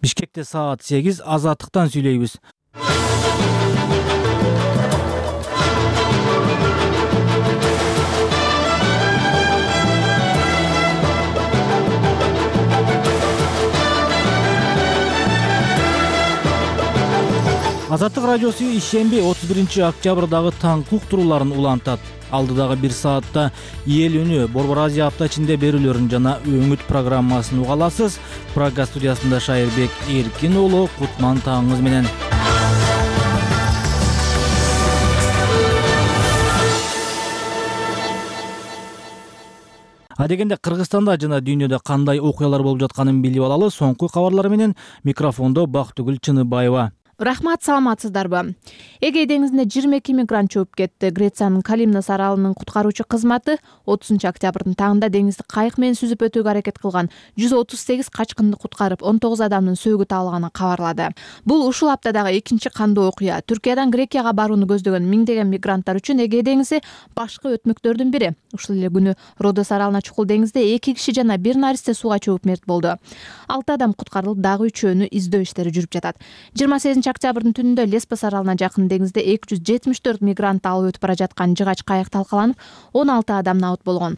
Бишкекте саат 8, Азаттыктан сүйлөйбүз. Азаттык радиосу ишемби 31-октябрдагы таңкы уктурууларын улантат. Алдыдагы 1 саатта эл үнү, Борбор Азия апта ичинде берүүлөрүн жана өңүт программасын уга аласыз. Прага студиясында Шайырбек Эркин уулу, кутман таңыңыз менен. Адегенде Кыргызстанда жана дүйнөдө кандай окуялар болуп жатканын билип алалы. Соңку кабарлар менен микрофондо Бактыгүл Чыныбаева. Рахмат, саламатсыздарбы? Эгей деңизине 22 мигрант чөп кетти. Грециянын Калимнос аралынын куткаруучу кызматы 30-октябрдын таңында деңизди кайык менен сүзүп өтүүгө аракет кылган 138 качкынды куткарып, 19 адамдын сөөгү табылганын кабарлады. Бул ушул аптадагы экинчи кандуу окуя. Түркиядан Грекияга барууну көздөгөн миңдеген мигранттар үчүн Эгей деңизи башкы өтмөктөрдүн бири. Ушул эле күнү Родос аралына чукул деңизде 2 киши жана 1 наристе сууга чөгүп мерт болду. 6 адам куткарылып, дагы 3-өөнү издөө иштери жүрүп жатат. 28-октябрдын түнүндө Леспос аралына жакын деңизде 274 мигрант алып өтүп бара жаткан жыгач кайык талкаланып, 16 адам набыт болгон.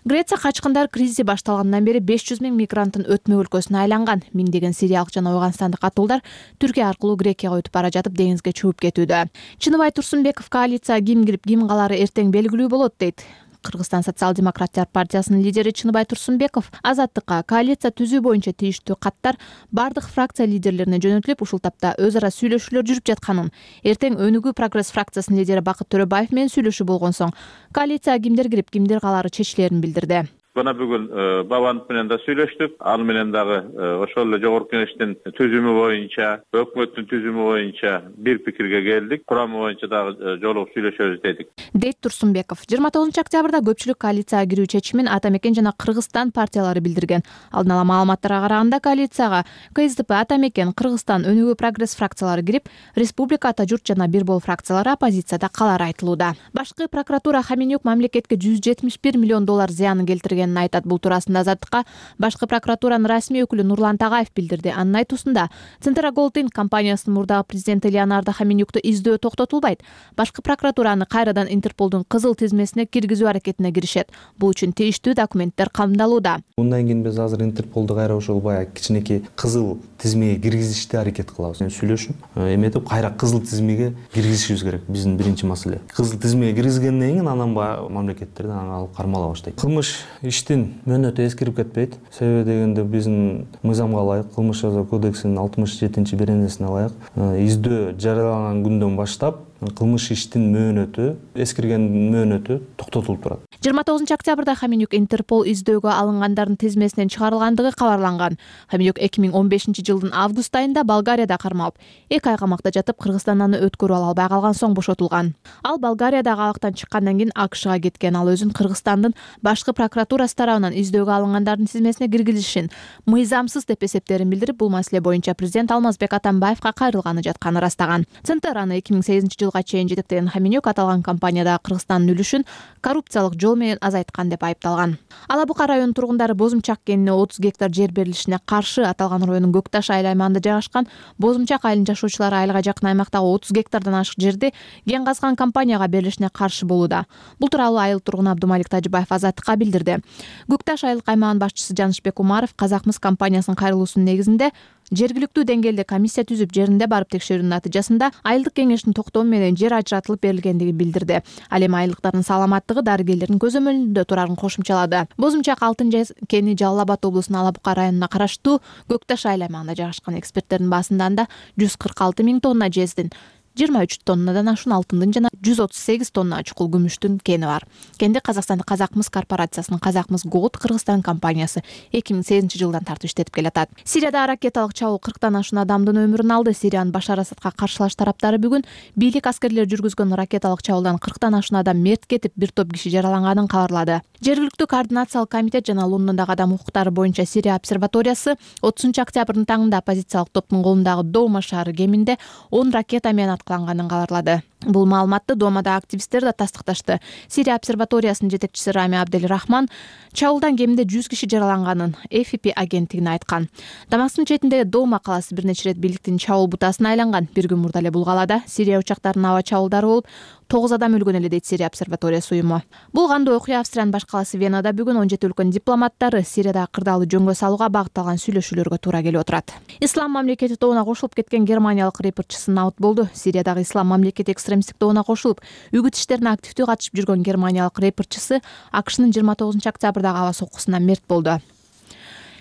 Греция качкындар кризи башталгандан бери 500 миң мигранттын өтмө өлкөсүнө айланган. Миңдеген сириялык жана Афганстандык катуулдар Түркия аркылуу Грекияга өтүп бара жатып деңизге чөгүп кетүүдө. Чыныбай Турсунбеков каалиция ким кирип, ким калары эртең белгилүү болот дейт. Кыргызстан социал-демократтар партиясынын лидери Чыныбай Турсунбеков Азаттыкка коалиция түзүү боюнча тийиштүү каттар бардык фракция лидерлерине жөнөтүлүп, ушул тапта өз ара сүйлөшүүлөр жүрүп жатканын, эртең Өнүгүү прогресс фракциясынын лидери Бакыт Төрөбаев менен сүйлөшүү болгон соң коалицияга кимдер кирип, кимдер калары чечилерин билдирди. Бана бүгүн Бабанов менен да сүйлөштүк. Ал менен дагы ошол эле жогорку кеңештин түзүмү боюнча, өкмөттүн түзүмү боюнча бир пикирге келдик. Курамы боюнча дагы жолугуп сүйлөшөбүз дедик. Дейт Турсунбеков. 29-октябрда көпчүлүк коалицияга кирүү чечимин Ата Мекен жана Кыргызстан партиялары билдирген. Алдын ала маалыматтарга караганда коалицияга КСДП, Ата Мекен, Кыргызстан, Өнүгүү прогресс фракциялары кирип, Республика, Ата Журт жана Бир Бол фракциялары оппозицияда калары айтылууда. Башкы прокуратура Хаменюк мамлекетке $171 миллион зыянын келтирген айтат. Бул туурасында Азаттыкка башкы прокуратуранын расмий өкүлү Нурлан Тагаев билдирди. Анын айтуусунда, Центра Голдин компаниясынын мурдагы президенти Леонардо Хаменюкту издөө токтотулбайт. Башкы прокуратураны кайрадан Интерполдун кызыл тизмесине киргизүү аракетине киришет. Бул үчүн тийиштүү документтер камдалууда. Мындан кийин биз азыр Интерполду кайра ошол баягы кичинекей кызыл тизмеге киргизишти аракет кылабыз. Сүйлөшүп, эметип кайра кызыл тизмеге киргизишибиз керек. Биздин биринчи маселе. Кызыл тизмеге киргизгенден кийин анан баягы мамлекеттерден алып кармала баштайт. Кылмыш иштин мөөнөтү эскирип кетпейт. Себеби дегенде биздин мыйзамга ылайык, кылмыш жаза кодексинин 67-беренесине ылайык издөө жарыяланган күндөн баштап кылмыш иштин мөөнөтү, эскирген мөөнөтү токтотулуп турат. 29-октябрда Хаменюк Интерпол издөөгө алынгандардын тизмесинен чыгарылгандыгы кабарланган. Хаменюк 2015-жылдын август айында Болгарияда кармалып, 2 ай камакта жатып, Кыргызстандан өткөрүп ала албай калган соң бошотулган. Ал Болгариядагы абактан чыккандан кийин АКШга кеткен. Ал өзүн Кыргызстандын башкы прокуратурасы тарабынан издөөгө алынгандардын тизмесине киргизилишин мыйзамсыз деп эсептерин билдирип, бул маселе боюнча президент Алмазбек Атамбаевка кайрылганы жатканын ырастаган. Центраны 2008-жылга чейин жетектеген Хаменюк аталган компаниядагы Кыргызстандын үлүшүн коррупциялык жол менен азайткан деп айыпталган. Ала Бука районунун тургундары Бозумчак кенине 30 гектар жер берилишине каршы аталган райондун Көкташ айыл аймагында жайгашкан Бозумчак айылынын жашоочулары айылга жакын аймактагы 30 гектардан ашык жерди кен казган компанияга берилишине каршы болууда. Бул тууралуу айыл тургуну Абдумалик Тажыбаев Азаттыкка билдирди. Көкташ айылдык аймагынын башчысы Жанышбек Умаров Казакмыс компаниясынын кайрылуусунун негизинде жергиликтүү деңгээлде комиссия түзүп, жеринде барып текшерүүнүн натыйжасында айылдык кеңештин токтому менен жер ажыратылып берилгендигин билдирди. Ал эми айылдыктардын саламаттыгы дарыгерлердин көзөмөлүндө турарын кошумчалады. Бозумчак алтын кени Жалал Абад облусунун Ала Бука районуна караштуу Көкташ айыл аймагында жайгашкан. Эксперттердин баасында анда 146 миң тонна жездин, 23 тоннадан ашуун алтындын жана 138 тонна чукул күмүштүн кени бар. Кенди Казакстандын Казакмыс корпорациясынын Казакмыс Голд Кыргызстан компаниясы 2008-жылдан тартып иштетип келатат. Сирияда ракеталык чабуул 40тан ашуун адамдын өмүрүн алды. Сириянын Башар Асадка каршылаш тараптары бүгүн бийлик аскерлери жүргүзгөн ракеталык чабуулдан 40тан ашуун адам мерт кетип, бир топ киши жараланганын кабарлады. Жергиликтүү координациялык комитет жана Лондондогу адам укуктары боюнча Сирия обсерваториясы 30-октябрдын таңында оппозициялык топтун колундагы Доума шаары кеминде 10 ракета менен аткыланганын кабарлады. Бул маалыматты Думада активисттер да тастыкташты. Сирия обсерваториясынын жетекчиси Рами Абделрахман чабуулдан кеминде 100 киши жараланганын AFP агенттигине айткан. Дамасктын четиндеги Дома калаасы бир нече ирет бийликтин чабуул бутасына айланган. Бир күн мурда эле бул калаада Сирия учактарынын аба чабуулдары болуп, 9 адам өлгөн эле дейт Сирия обсерваториясы уюму. Бул кандуу окуя Австриянын баш калаасы Венада бүгүн 17 өлкөнүн дипломаттары Сириядагы кырдаалды жөнгө салууга багытталган сүйлөшүүлөргө туура келип отурат. Ислам мамлекети тобуна кошулуп кеткен германиялык рэперчиси наут болду. Сириядагы Ислам мамлекети экстремисттик тобуна кошулуп, үгүт иштерине активдүү катышып жүргөн германиялык рэперчиси АКШнын 29 октябрдагы аба соккусунан мерт болду.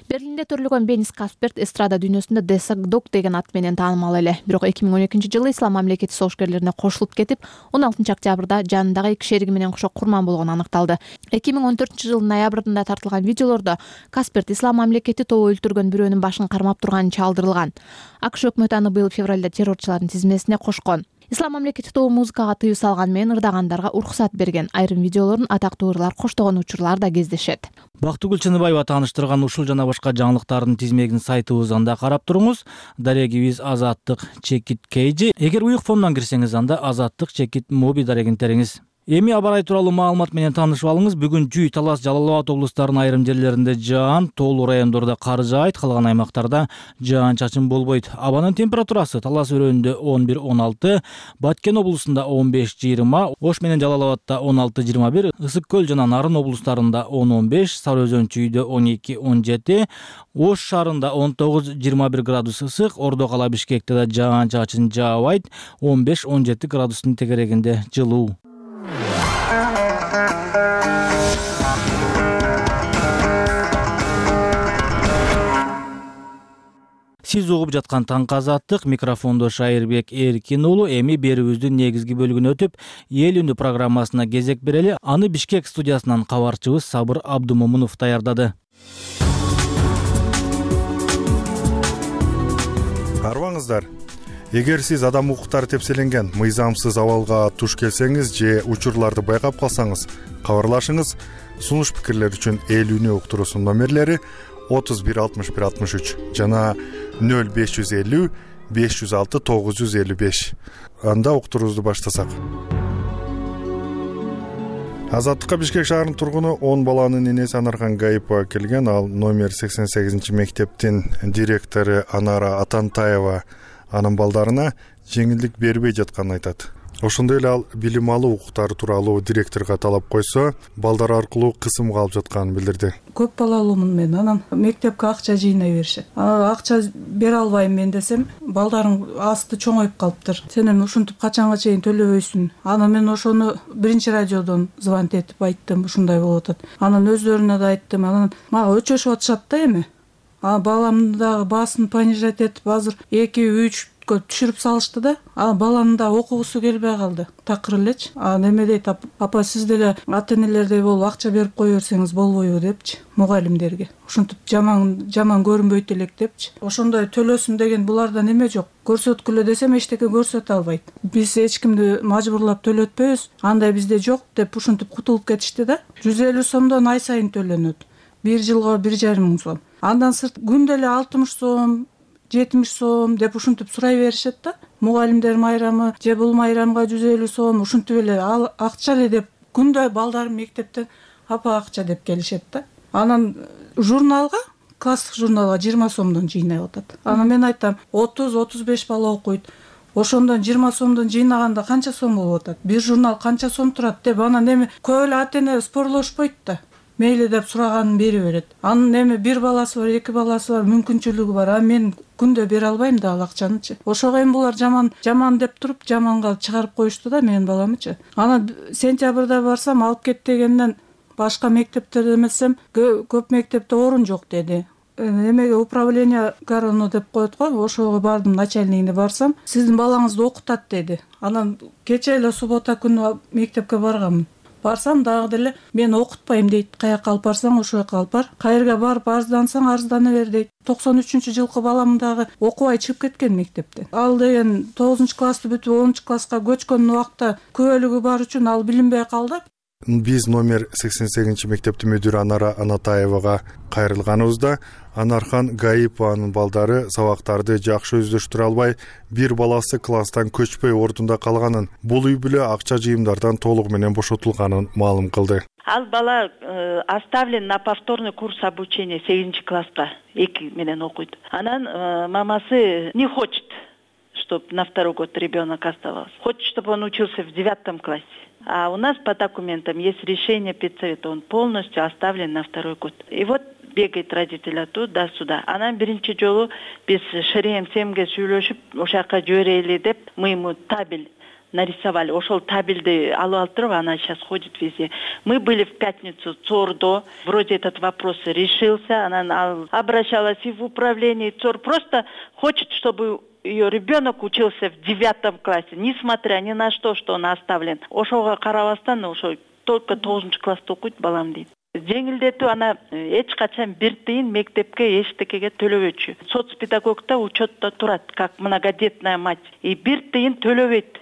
Берлинде төрөлгөн Бенис Касперт эстрада дүйнөсүндө Десагдок деген ат менен таанымал эле. Бирок 2012-жылы Ислам мамлекети согушкерлерине кошулуп кетип, 16 октябрда жанындагы 2 шериги менен кошо курман болгону аныкталды. 2014-жылдын ноябрында тартылган видеолордо Касперт Ислам мамлекети тобу өлтүргөн бирөөнүн башын кармап турганы чалдырылган. АКШ өкмөтү аны быйыл февралда террорчулардын тизмесине кошкон. Ислам мамлекети тобу музыкага тыюу салган менен ырдагандарга уруксат берген. Айрым видеолорун атактуу ырлар коштогон учурлар да кездешет. Бактыгүл Чыныбаева тааныштырган ушул жана башка жаңылыктардын тизмегин сайтыбыздан да карап туруңуз. Дарегибиз Азаттык Чекит Кейжи. Эгер уюк фондон кирсеңиз, анда Азаттык Чекит Моби дарегин териңиз. Эми аба-ырай тууралуу маалымат менен таанышып алыңыз. Бүгүн Жүй, Талас, Жалал Абад облустарынын айрым жерлеринде жаан, тоолуу райондордо кар жаайт, калган аймактарда жаан-чачын болбойт. Абанын температурасы Талас өрөөнүндө 11-16, Баткен облусунда 15-20, Ош менен Жалал Абадта 16-21, Ысык Көл жана Нарын облустарында 10-15, Сары Өзөн Чүйдө 12-17, Ош шаарында 19-21 градус ысык, Ордо кала Бишкекте да жаан-чачын жаабайт, 15-17 градустун тегерегинде жылуу. Сиз угуп жаткан Таңкы Азаттык, микрофондо Шайырбек Эркин уулу. Эми берүүбүздүн негизги бөлүгүнө өтүп, Эл үнү программасына кезек берели. Аны Бишкек студиясынан кабарчыбыз Сабыр Абдумомунов даярдады. Арбаңыздар. Эгер сиз адам укуктары тепселенген мыйзамсыз абалга туш келсеңиз же учурларды байкап калсаңыз, кабарлашыңыз. Сунуш пикирлер үчүн Эл үнү уктуруусунун номерлери 31 61 63 жана 0550 506 955. Анда уктуруубузду баштасак. Азаттыкка Бишкек шаарынын тургуну 10 баланын энеси Анархан Гаипова келген. Ал номер 88-мектептин директору Анара Атантаева анын балдарына жеңилдик бербей жатканын айтат. Ошондой эле ал билим алуу укуктары тууралуу директорго талап койсо, балдар аркылуу кысымга алып жатканын билдирди. Көп балалуумун мен, анан мектепке акча жыйнай беришет. Акча бере албайм мен десем, балдарың асты чоңоюп калыптыр. Сен эми ушинтип качанга чейин төлөбөйсүң. Анан мен ошону биринчи радиодон звонить этип айттым, ушундай болуп атат. Анан өздөрүнө да айттым. Анан мага өчөшүп атышат да эми. Баламдын дагы баасын понижать этип, азыр 2-3 түшүрүп салышты да. Баланын да окугусу келбей калды. Такыр элечи. Неме дейт, апа сиз деле ата энелердей болуп акча берип кое берсеңиз болбойбу депчи, мугалимдерге. Ушинтип жаман көрүнбөйт элек депчи. Ошондой төлөсүн деген буларда неме жок. Көрсөткүлө десем эчтеке көрсөтө албайт. Биз эч кимди мажбурлап төлөтпөйбүз. Андай бизде жок деп ушинтип кутулуп кетишти да. 150 сомдон ай сайын төлөнөт. 1 жылга 1,5 миң сом. Андан сырт күндө эле 60 сом, 70 сом деп ушинтип сурай беришет да. Мугалимдер майрамы же бул майрамга 150 сом ушинтип эле акча эле деп күндө балдарым мектептен апа акча деп келишет да. Анан журналга, класстык журналга 20 сомдон жыйнай атат. Анан мен айтам, 30-35 бала окуйт. Ошондон 20 сомдон жыйнаганда канча сом болуп атат? Бир журнал канча сом турат деп анан эми көп эле ата эне спорлошпойт да. Мейли деп сураганын бере берет. Анын эми бир баласы бар, 2 баласы бар, мүмкүнчүлүгү бар. Мен күндө бере албайм да ал акчанычы. Ошого эми булар жаман деп туруп, жаманга чыгарып коюшту да менин баламычы. Анан сентябрда барсам алып кет дегенден башка мектептерде эмесем, көп мектепте орун жок деди. Эмеге управление гороно деп коет го, ошого бардым, начальнигине барсам, сиздин балаңызды окутат деди. Анан кече эле суббота күнү мектепке барганмын. Барсам дагы деле мен окутпайм дейт. Каяка алып барсаң ошол жака алып бар. Кайерге барып арыздансаң арыздана бер дейт. 93-жылкы балам дагы окубай чыгып кеткен мектепте. Ал деген 9-классты бүтүп 10-класска көчкөн убакта күбөлүгү бар үчүн ал билинбей калды. Биз номер 88 мектептин мүдүрү Анара Анатаевага кайрылганыбызда Анархан Гаипованын балдары сабактарды жакшы өздөштүрө албай, бир баласы класстан көчпөй ордунда калганын, бул үй бүлө акча жыйымдардан толугу менен бошотулганын маалым кылды. Ал бала оставлен на повторный курс обучения 8 класска 2 менен окуйт. Анан мамасы не хочет, чтобы на второй год ребенок оставался. Хочет, чтобы он учился в 9 классе. А у нас по документам есть решение педсовета, он полностью оставлен на второй год. И вот бегает родитель туда-сюда. Анан биринчи жолу биз Шереем Семге сүйлөшүп, ошака жиберели деп, мы ему табель нарисовали. Ошол табельди алып алып, она сейчас ходит везде. Мы были в пятницу ЦОРДо, вроде этот вопрос решился, она обращалась и в управление ЦОР, просто хочет, чтобы ее ребенок учился в 9 классе, несмотря ни на что он оставлен. Ошого карабастан, ошо только 9 класста окуйт балам дейт. Жеңилдетүү ана эч качан бир тыйын мектепке эчтекеге төлөбөчү. Соцпедагогда учетто турат, как многодетная мать. И бир тыйын төлөбөйт.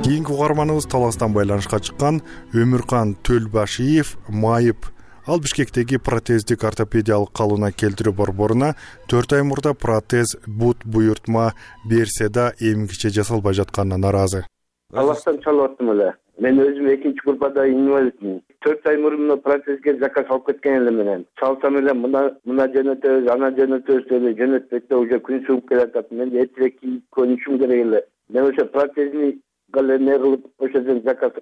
Кийинки угарманыбыз Таластан байланышка чыккан Өмүркан Төлбашиев майып. Ал Бишкектеги протездик ортопедиялык калууна келтирүү борборуна 4 ай мурда протез бут буйртма берсе да эмгиче жасалбай жатканына наразы. Таластан чалып аттым эле. Мен өзүм экинчи группада инвалидмин. 4 ай мурун протезге заказ алып кеткен эле менен. Чалсам эле мына жөнөтөбүз, ана жөнөтөбүз деп жөнөтпөйт, уже күн сууп келатат. Мен эртерээк көнүшүм керек эле. Мен ошо протезни галене кылып ошодон заказ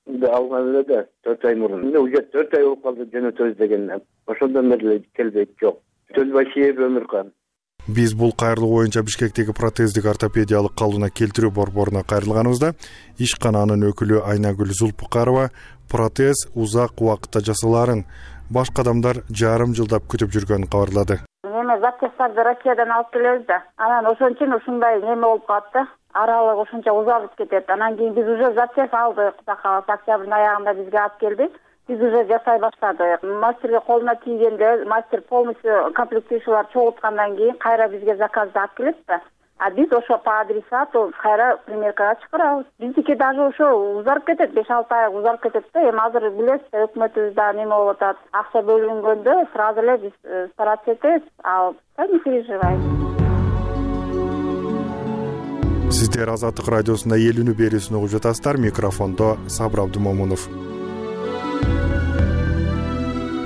алган эле да 4 ай мурун. Мен уже 4 ай болуп калды жөнөтөбүз дегенден. Ошондон бери келбейт, жок. Төлбашиев Өмүркан. Биз бул кайрылуу боюнча Бишкектеги протездик ортопедиялык калууна келтирүү борборуна кайрылганыбызда ишкананын өкүлү Айнагүл Зулпукарова протез узак убакытта жасалаарын башка адамдар жарым жылдап күтүп жүргөнүн кабарлады. Неме запчасттарды Россиядан алып келебиз да. Анан ошон үчүн ушундай неме болуп калат да. Аралык ушунча узап кетет. Анан кийин биз уже запчасть алдык. Кудай кааласа октябрдын аягында бизге алып келди. Биз уже жасай баштадык. Мастерге колуна тийгенде, мастер полностью комплектующийлар чогулткандан кийин кайра бизге заказды алып келет да. А биз ошо по адресату кайра примеркага чыгарабыз. Биздики даже ошо узарып кетет, 5-6 ай узарып кетет да. Эми азыр билесиз, өкмөтүбүздө неме болуп атат. Акча бөлүнгөндө сразу эле биз стараться этебиз. А не переживайте. Сиздер Азаттык радиосунда эл үнү берүүсүн угуп жатасыздар. Микрофондо Сабыр Абдымомунов.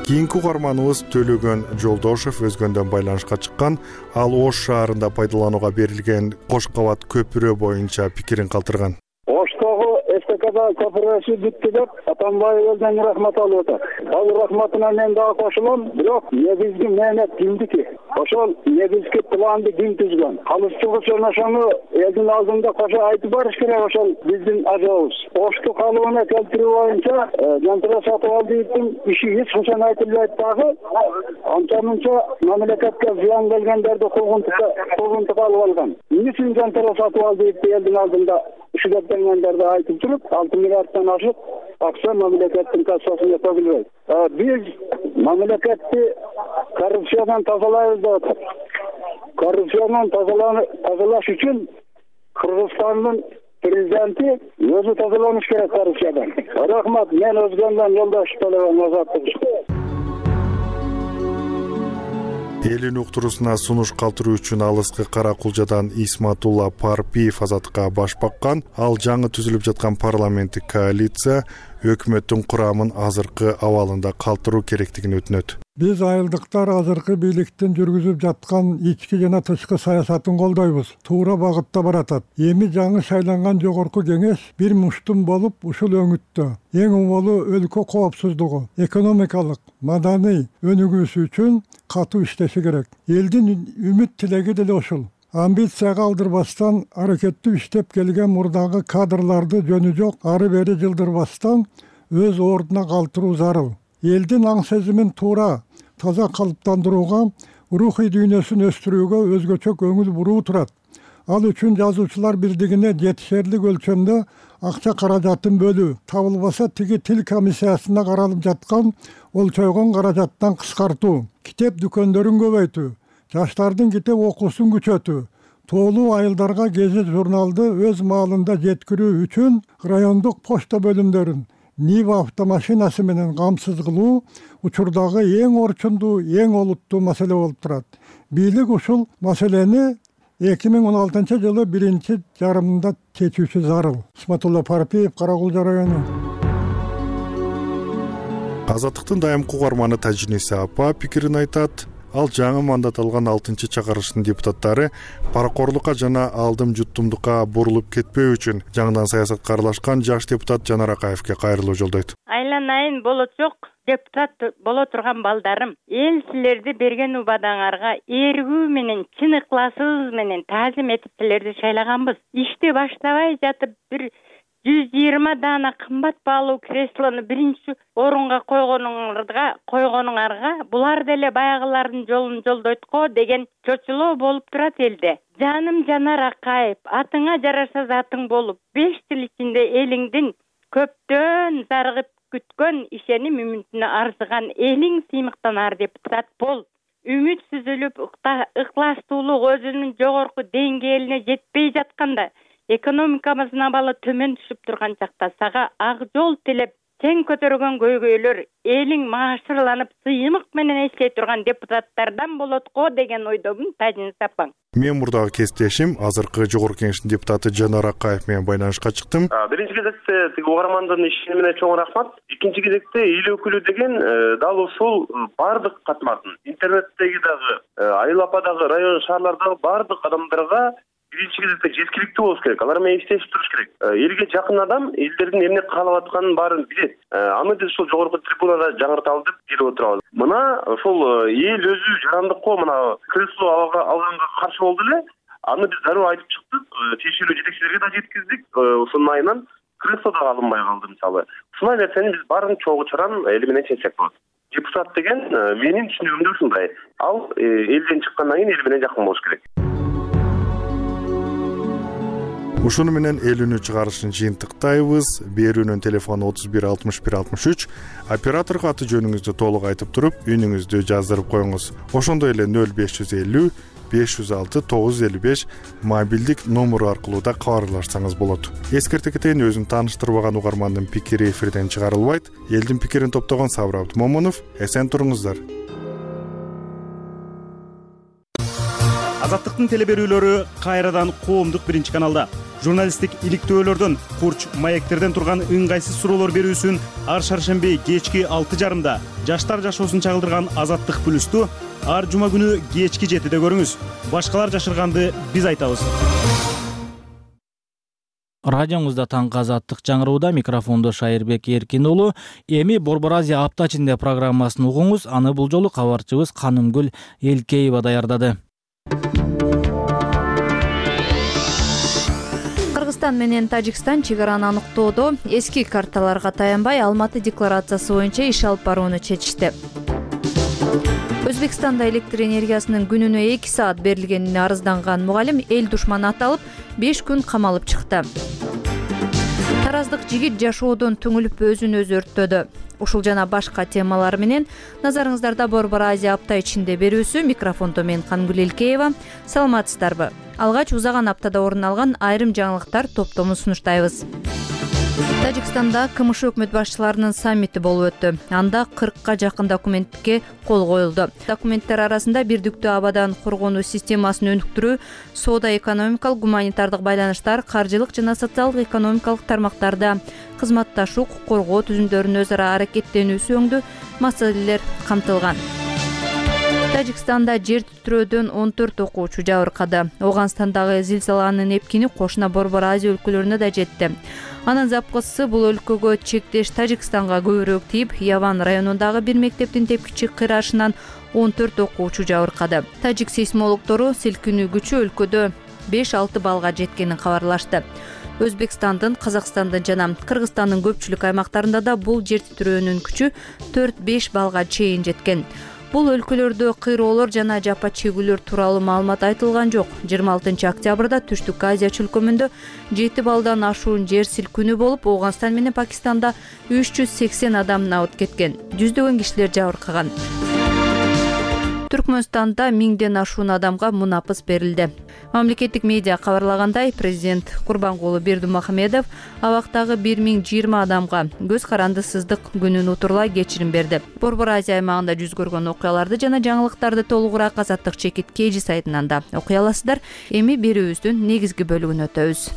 Кийинки угарманыбыз Төлөгөн Жолдошев өзгөндөн байланышка чыккан. Ал Ош шаарында пайдаланууга берилген кош кабат көпүрө боюнча пикирин калтырган. Оштогу СТКда көпүрөсү бүттү деп Атамбаевден рахмат алып атат. Ал рахматына мен дагы кошулам, бирок негизги мээнет кимдики? Ошол негизги планды ким түзгөн? Калыстуу ошону элдин алдында кошо айтып барыш керек, ошол биздин ажабыбыз. Ошту калыбына келтирүү боюнча жантыра сатып алдыктын иши эч качан айтылбайт дагы. Анча-мынча мамлекетке зыян келгендерди куугунтук алып алган. Эмне үчүн жантыра сатып алдыкты элдин алдында ишидептенгендерди айтып туруп 6 миллиарддан ашык акча мамлекеттин кассасына төгүлбөйт. Биз мамлекетти коррупциядан тазалайбыз деп атат. Коррупциядан тазалаш үчүн Кыргызстандын президенти өзү тазаланыш керек коррупциядан. Рахмат, мен өзгөндөн Жолдош Төлөгөн Азаттык. Элин уктуруусуна сунуш калтыруу үчүн алыскы Кара Кулжадан Исматулла Парпиев Азаттыкка баш баккан. Ал жаңы түзүлүп жаткан парламенттик коалиция өкмөттүн курамын азыркы абалында калтыруу керектигин өтүнөт. Биз айылдыктар азыркы бийликтин жүргүзүп жаткан ички жана тышкы саясатын колдойбуз. Туура багытта баратат. Эми жаңы шайланган жогорку кеңеш бир муштум болуп ушул өңүттө эң убалуу өлкө коопсуздугу, экономикалык, маданий өнүгүүсү үчүн катуу иштеши керек. Элдин үмүт тилеги деле ушул. Амбицияга алдырбастан, аракеттүү иштеп келген мурдагы кадрларды жөнү жок ары бери жылдырбастан өз ордуна калтыруу зарыл. Элдин аң сезимин туура, таза калыптандырууга, рухий дүйнөсүн өстүрүүгө өзгөчө көңүл буруу турат. Ал үчүн жазуучулар бирдигине жетишерлик өлчөмдө акча каражатын бөлүү, табылбаса тиги тил комиссиясына каралып жаткан олчойгон каражаттан кыскартуу, китеп дүкөндөрүн көбөйтүү, жаштардын китеп окуусун күчөтүү, тоолуу айылдарга гезит журналды өз маалында жеткирүү үчүн райондук почта бөлүмдөрүн Нива автомашинасы менен камсыз кылуу учурдагы эң орчундуу, эң олуттуу маселе болуп турат. Бийлик ушул маселени 2016 жылы 1-жарымында чечүүсү зарыл. Исматулла Парпиев, Каракулжа району. Азаттыктын дайымкы угарманы Тажиниса апа пикирин айтат. Ал жаңы мандат алган 6-чакырыштын депутаттары паракорлукка жана алдым жуттумдукка бурулуп кетпөө үчүн жаңыдан саясатка аралашкан жаш депутат Жанар Акаевге кайрылуу жолдойт. Айланайын болочок депутат боло турган балдарым, эл силерди берген убадаңарга эргүү менен, чын ыкласыбыз менен таазим этип силерди шайлаганбыз. Ишти баштабай жатып бир 120 дана кымбат баалуу креслону биринчи орунга койгонуңарга булар деле баягылардын жолун жолдойт го деген чочулоо болуп турат элде. Жаным Жанар Акаев, атыңа жараша затың болуп, 5 жыл ичинде элиңдин көптөн зарыгып күткөн ишеним үмүтүнө арзыган элиң сыймыктанар депутат бол. Үмүт сүзүлүп, ыкластуулук өзүнүн жогорку деңгээлине жетпей жатканда, экономикабыздын абалы төмөн түшүп турган чакта сага ак жол тилеп, сен көтөргөн көйгөйлөр элиң маашырланып, сыймык менен эстей турган депутаттардан болот го деген ойдомун, Тажиниса апаң. Мен мурдагы кесиптешим азыркы жогорку кеңештин депутаты Жанар Акаев менен байланышка чыктым. Биринчи кезекте тиги угармандын ишенимине чоң рахмат. Экинчи кезекте эл өкүлү деген дал ушул бардык катмардын, интернеттеги дагы, Айыл апа дагы, район шаарлардагы бардык адамдарга биринчи кезекте жеткиликтүү болуш керек. Алар менен иштешип туруш керек. Элге жакын адам элдердин эмне каалап атканын баарын билет. Аны биз ушул жогорку трибунада жаңырталы деп келип отурабыз. Мына ошол эл өзү жарандыкко мына кресло алганга каршы болду эле. Аны биз дароо айтып чыктык. Тиешелүү жетекчилерге да жеткиздик. Ошонун айынан кресло да алынбай калды мисалы. Ушундай нерсени биз баарын чогуу чаран эл менен чечсек болот. Депутат деген менин түшүнүгүмдө ушундай. Ал элден чыккандан кийин эл менен жакын болуш керек. Ушуну менен эл үнү чыгарышын жыйынтыктайбыз. Берүүнүн телефону 31 61 63. Операторго аты жөнүңүздү толук айтып туруп, үнүңүздү жаздырып коюңуз. Ошондой эле 0550 506 955 мобилдик номеру аркылуу да кабарлашсаңыз болот. Эскерте кетейин, өзүн тааныштырбаган угармандын пикири эфирден чыгарылбайт. Элдин пикирин топтогон Сабыр Абдымомунов. Эсен туруңуздар. Азаттыктын телеберүүлөрү кайрадан коомдук биринчи каналда. Журналисттик иликтөөлөрдөн, курч маектерден турган ыңгайсыз суроолор берүүсүн ар шаршемби кечки 6:30 жаштар жашоосун чагылдырган Азаттык плюсту ар жума күнү кечки 7-де көрүңүз. Башкалар жашырганды биз айтабыз. Радиоңузда таңкы Азаттык жаңырууда, микрофондо Шайырбек Эркин уулу. Эми Борбор Азия апта ичинде программасын угуңуз. Аны бул жолу кабарчыбыз Канымгүл Элкеева даярдады. Кыргызстан менен Тажикстан чек араны аныктоодо эски карталарга таянбай Алматы декларациясы боюнча иш алып барууну чечишти. Өзбекстанда электр энергиясынын күнүнө 2 саат берилгенине арызданган мугалим эл душманы аталып 5 күн камалып чыкты. Тараздык жигит жашоодон түңүлүп өзүн өзү өрттөдү. Ушул жана башка темалар менен назарыңыздарда Борбор Азия апта ичинде берүүсү. Микрофондо мен Канымгүл Элкеева. Саламатсыздарбы? Алгач узаган аптада орун алган айрым жаңылыктар топтомун сунуштайбыз. Тажикстанда КМШ өкмөт башчыларынын саммити болуп өттү. Анда 40га жакын документке кол коюлду. Документтер арасында бирдиктүү абадан коргонуу системасын өнүктүрүү, соода-экономикалык, гуманитардык байланыштар, каржылык жана социалдык экономикалык тармактарда кызматташуу, укук коргоо түзүмдөрүнүн өз ара аракеттенүүсү өңдүү маселелер камтылган. Тажикстанда жер титирөөдөн 14 окуучу жабыркады. Оганстандагы зилзаланын эпкини кошуна Борбор Азия өлкөлөрүнө да жетти. Анын запкысы бул өлкөгө чектеш Тажикстанга көбүрөөк тийип, Яван районундагы бир мектептин тепкичи кыйрашынан 14 окуучу жабыркады. Тажик сейсмологтору силкинүү күчү өлкөдө 5-6 балга жеткенин кабарлашты. Өзбекстандын, Казакстандын жана Кыргызстандын көпчүлүк аймактарында да бул жер титирөөнүн күчү 4-5 балга чейин жеткен. Бул өлкөлөрдө кыйроолор жана жапа чегүүлөр тууралуу маалымат айтылган жок. 26 октябрда Түштүк Азия чөлкөмүндө 7 балдан ашуун жер силкинүү болуп, Оганстан менен Пакистанда 380 адам набыт кеткен. Жүздөгөн кишилер жабыркаган. Түркмөнстанда 1000ден ашуун адамга мунапыс берилди. Мамлекеттик медиа кабарлагандай, президент Курбангулы Бердимухамедов абактагы 1020 адамга көз каранды сыздык күнүн утурлай кечирим берди. Борбор Азия аймагында жүз көргөн окуяларды жана жаңылыктарды толугураак Азаттык чекит KG сайтынан да окуй аласыздар. Эми берүүбүздүн негизги бөлүгүнө өтөбүз.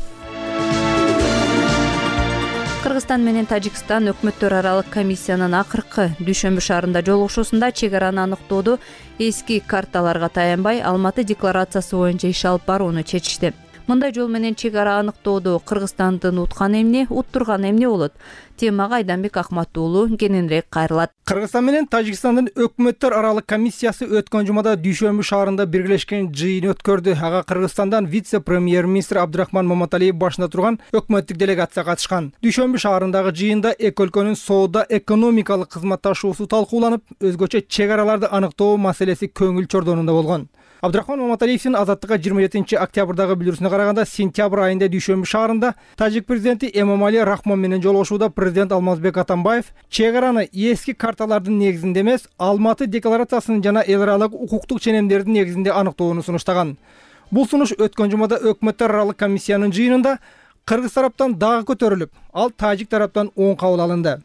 Кыргызстан менен Тажикстан өкмөттөр аралык комиссиянын акыркы дүйшөмбү шаарында жолугушуусунда чек араны аныктоодо эски карталарга таянбай Алматы декларациясы боюнча иш алып барууну чечишти. Мындай жол менен чек ара аныктоодо Кыргызстандын уткан эмне, уттурган эмне болот? Темага Айданбек Акматуулу кененирээк кайрылат. Кыргызстан менен Тажикстандын өкмөттөр аралык комиссиясы өткөн жумада Дүйшөмбү шаарында биргелешкен жыйын өткөрдү. Ага Кыргызстандан вице-премьер-министр Абдрахман Маматалиев башында турган өкмөттүк делегация катышкан. Дүйшөмбү шаарындагы жыйында эки өлкөнүн соода экономикалык кызматташуусу талкууланып, өзгөчө чек араларды аныктоо маселеси көңүл чордонунда болгон. Абдрахман Маматалиевдин Азаттыкка 27 октябрдагы билдирүүсүнө караганда, сентябрь айында Дүйшөмбү шаарында тажик президенти Эмомали Рахмон менен жолугушууда президент Алмазбек Атамбаев чек араны эски карталардын негизинде эмес, Алматы декларациясынын жана эл аралык укуктук ченемдердин негизинде аныктоону сунуштаган. Бул сунуш өткөн жумада өкмөттөр аралык комиссиянын жыйынында кыргыз тараптан дагы көтөрүлүп, ал тажик тараптан оң кабыл алынды.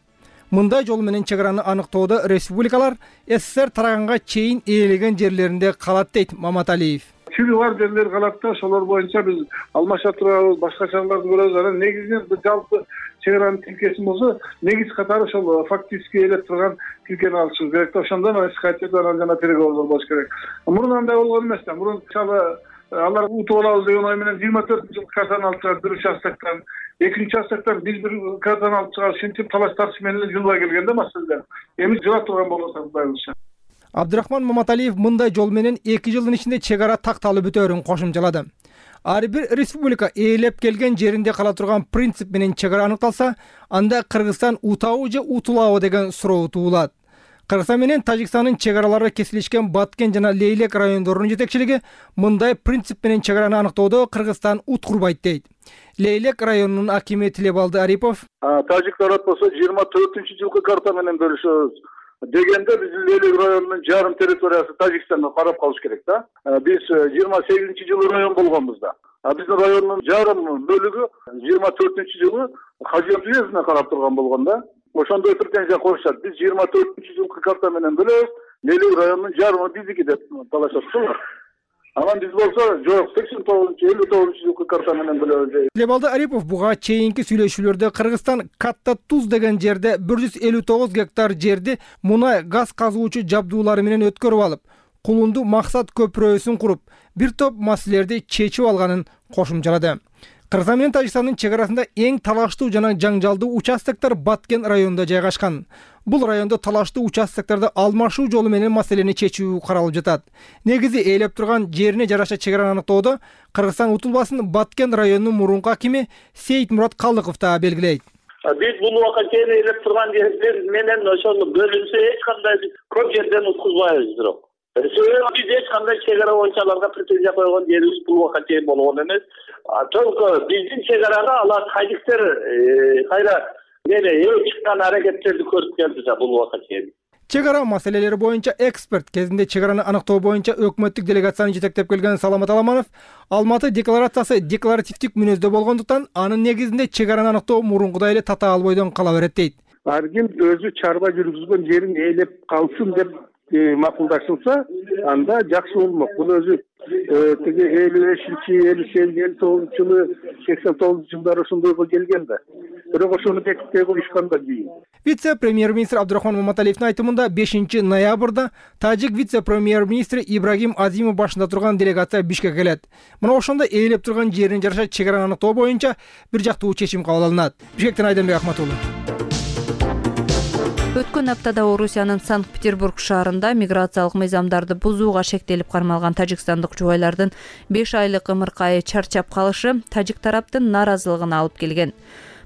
Мындай жол менен чек араны аныктоодо республикалар СССР тараганга чейин ээлеген жерлеринде калат дейт Маматалиев. Чири бар жерлер калат да, ошолор боюнча биз алмашып турабыз, башка чараларды көрөбүз. Анан негизинен жалпы чек аранын тилкеси болсо, негиз катары ошол фактически ээлеп турган тилкени алышыбыз керек да. Ошондон исхатчы анан жана переговордор болуш керек. Мурун андай болгон эмес да. Мурун алар утуп алабыз деген ой менен 24-жылкы картаны алып чыгып, бир участоктон, экинчи участоктон биз бир картаны алып чыгып, ушинтип талаш тартыш менен жылбай келген да маселелер. Эми жылап турган болсо Кудайыбызча. Абдрахман Маматалиев мындай жол менен 2 жылдын ичинде чек ара такталып бүтөөрүн кошумчалады. Ар бир республика ээлеп келген жеринде кала турган принцип менен чек ара аныкталса, анда Кыргызстан утабы же утулабы деген суроо туулат. Кыргызстан менен Тажикстандын чек аралары кесилишкен Баткен жана Лейлек райондорунун жетекчилиги мындай принцип менен чек араны аныктоодо Кыргызстан уткурбайт дейт. Лейлек районунун акими Тилебалды Арипов: Тажик тарап болсо 24-жылкы карта менен бөлүшөбүз дегенде биз Лейлек районунун жарым территориясы Тажикстанга карап калыш керек да. Биз 28-жылы район болгонбуз да. Биздин райондун жарым бөлүгү 24-жылы Хажият уездине карап турган болгон да. Ошондой претензия коюшат. Биз 24-жылкы карта менен бөлөбүз, Лейлек районунун жарымы биздики деп талашат. Анан биз болсо жок, 89-59-жылкы карта менен бөлөбүз. Лебалды Арипов буга чейинки сүйлөшүүлөрдө Кыргызстан Катта Туз деген жерде 159 гектар жерди мунай газ казуучу жабдуулары менен өткөрүп алып, Кулунду максат көпүрөсүн куруп, бир топ маселелерди чечип алганын кошумчалады. Кыргызстан менен Тажикстандын чек арасында эң талаштуу жана жаңжалдуу участоктор Баткен районунда жайгашкан. Бул райондо талаштуу участокторду алмашуу жолу менен маселени чечүү каралып жатат. Негизи ээлеп турган жерине жараша чек араны аныктоодо Кыргызстан утулбасын Баткен районунун мурунку акими Сейитмурат Калдыков да белгилейт. Биз бул убакытта ээлеп турган жер менен ошону бөлүнсө эч кандай көп жерден уткузбайбыз бирок. Биз эч кандай чек ара боюнча аларга претензия койгон жерибиз бул убакытта болгон эмес. Только биздин чек араны алар тажиктер кайра чыккан аракеттерди көрүп келди да бул убакытта. Чек ара маселелери боюнча эксперт кезинде чек араны аныктоо боюнча өкмөттүк делегацияны жетектеп келген Саламат Аламанов Алматы декларациясы декларативдик мүнөздө болгондуктан анын негизинде чек араны аныктоо мурункудай эле татаал бойдон кала берет дейт. Ар ким өзү чарба жүргүзгөн жерин ээлеп калсын деп макулдашылса, анда жакшы болмок. Бул өзү тиги 55-59-жылы 89-жылдары ошондойго келген да. Бирок ошону бекитпей коюшканда кийин. Вице-премьер-министр Абдрахман Маматалиевдин айтымында 5 ноябрда тажик вице-премьер-министри Ибрагим Азимов башында турган делегация Бишкекке келет. Мына ошондо ээлеп турган жерин жараша чек араны аныктоо боюнча бир жактуу чечим кабыл алынат. Бишкектен Айданбек Акматуулу. Өткөн аптада Орусиянын Санкт-Петербург шаарында миграциялык мыйзамдарды бузууга шектелип кармалган тажикстандык жубайлардын 5 айлык ымыркайы чарчап калышы тажик тараптын нааразылыгына алып келген.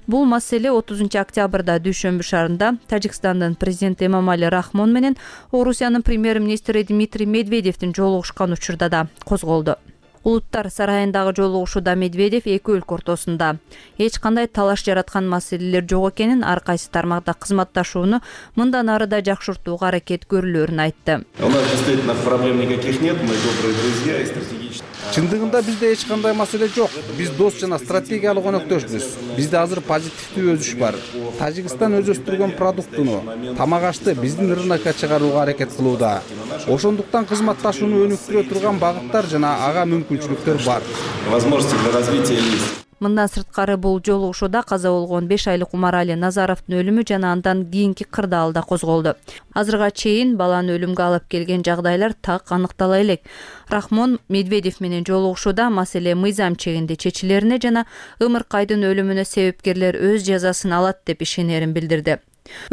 Бул маселе 30 октябрда Дүйшөмбү шаарында Тажикстандын президенти Эмомали Рахмон менен Орусиянын премьер-министри Дмитрий Медведевдин жолугушкан учурда да козголду. Улуттар сарайындагы жолугушууда Медведев эки өлкө ортосунда эч кандай талаш жараткан маселелер жок экенин, ар кайсы тармакта кызматташууну мындан ары да жакшыртууга аракет көрүлөөрүн айтты. У нас действительно проблем никаких нет, мы добрые друзья и стратегические. Чындыгында бизде эч кандай маселе жок. Биз дос жана стратегиялык өнөктөшбүз. Бизде азыр позитивдүү өсүш бар. Тажикстан өз өстүргөн продуктуну, тамак ашты биздин рынокко чыгарууга аракет кылууда. Ошондуктан кызматташууну өнүктүрө турган багыттар жана ага мүмкүнчүлүктөр бар. Возможности для развития есть. Мындан сырткары бул жолугушууда каза болгон 5 айлык Умарали Назаровдун өлүмү жана андан кийинки кырдаал да козголду. Азырга чейин баланы өлүмгө алып келген жагдайлар так аныктала элек. Рахмон Медведев менен жолугушууда маселе мыйзам чегинде чечилерине жана Ымыркайдын өлүмүнө себепкерлер өз жазасын алат деп ишенерин билдирди.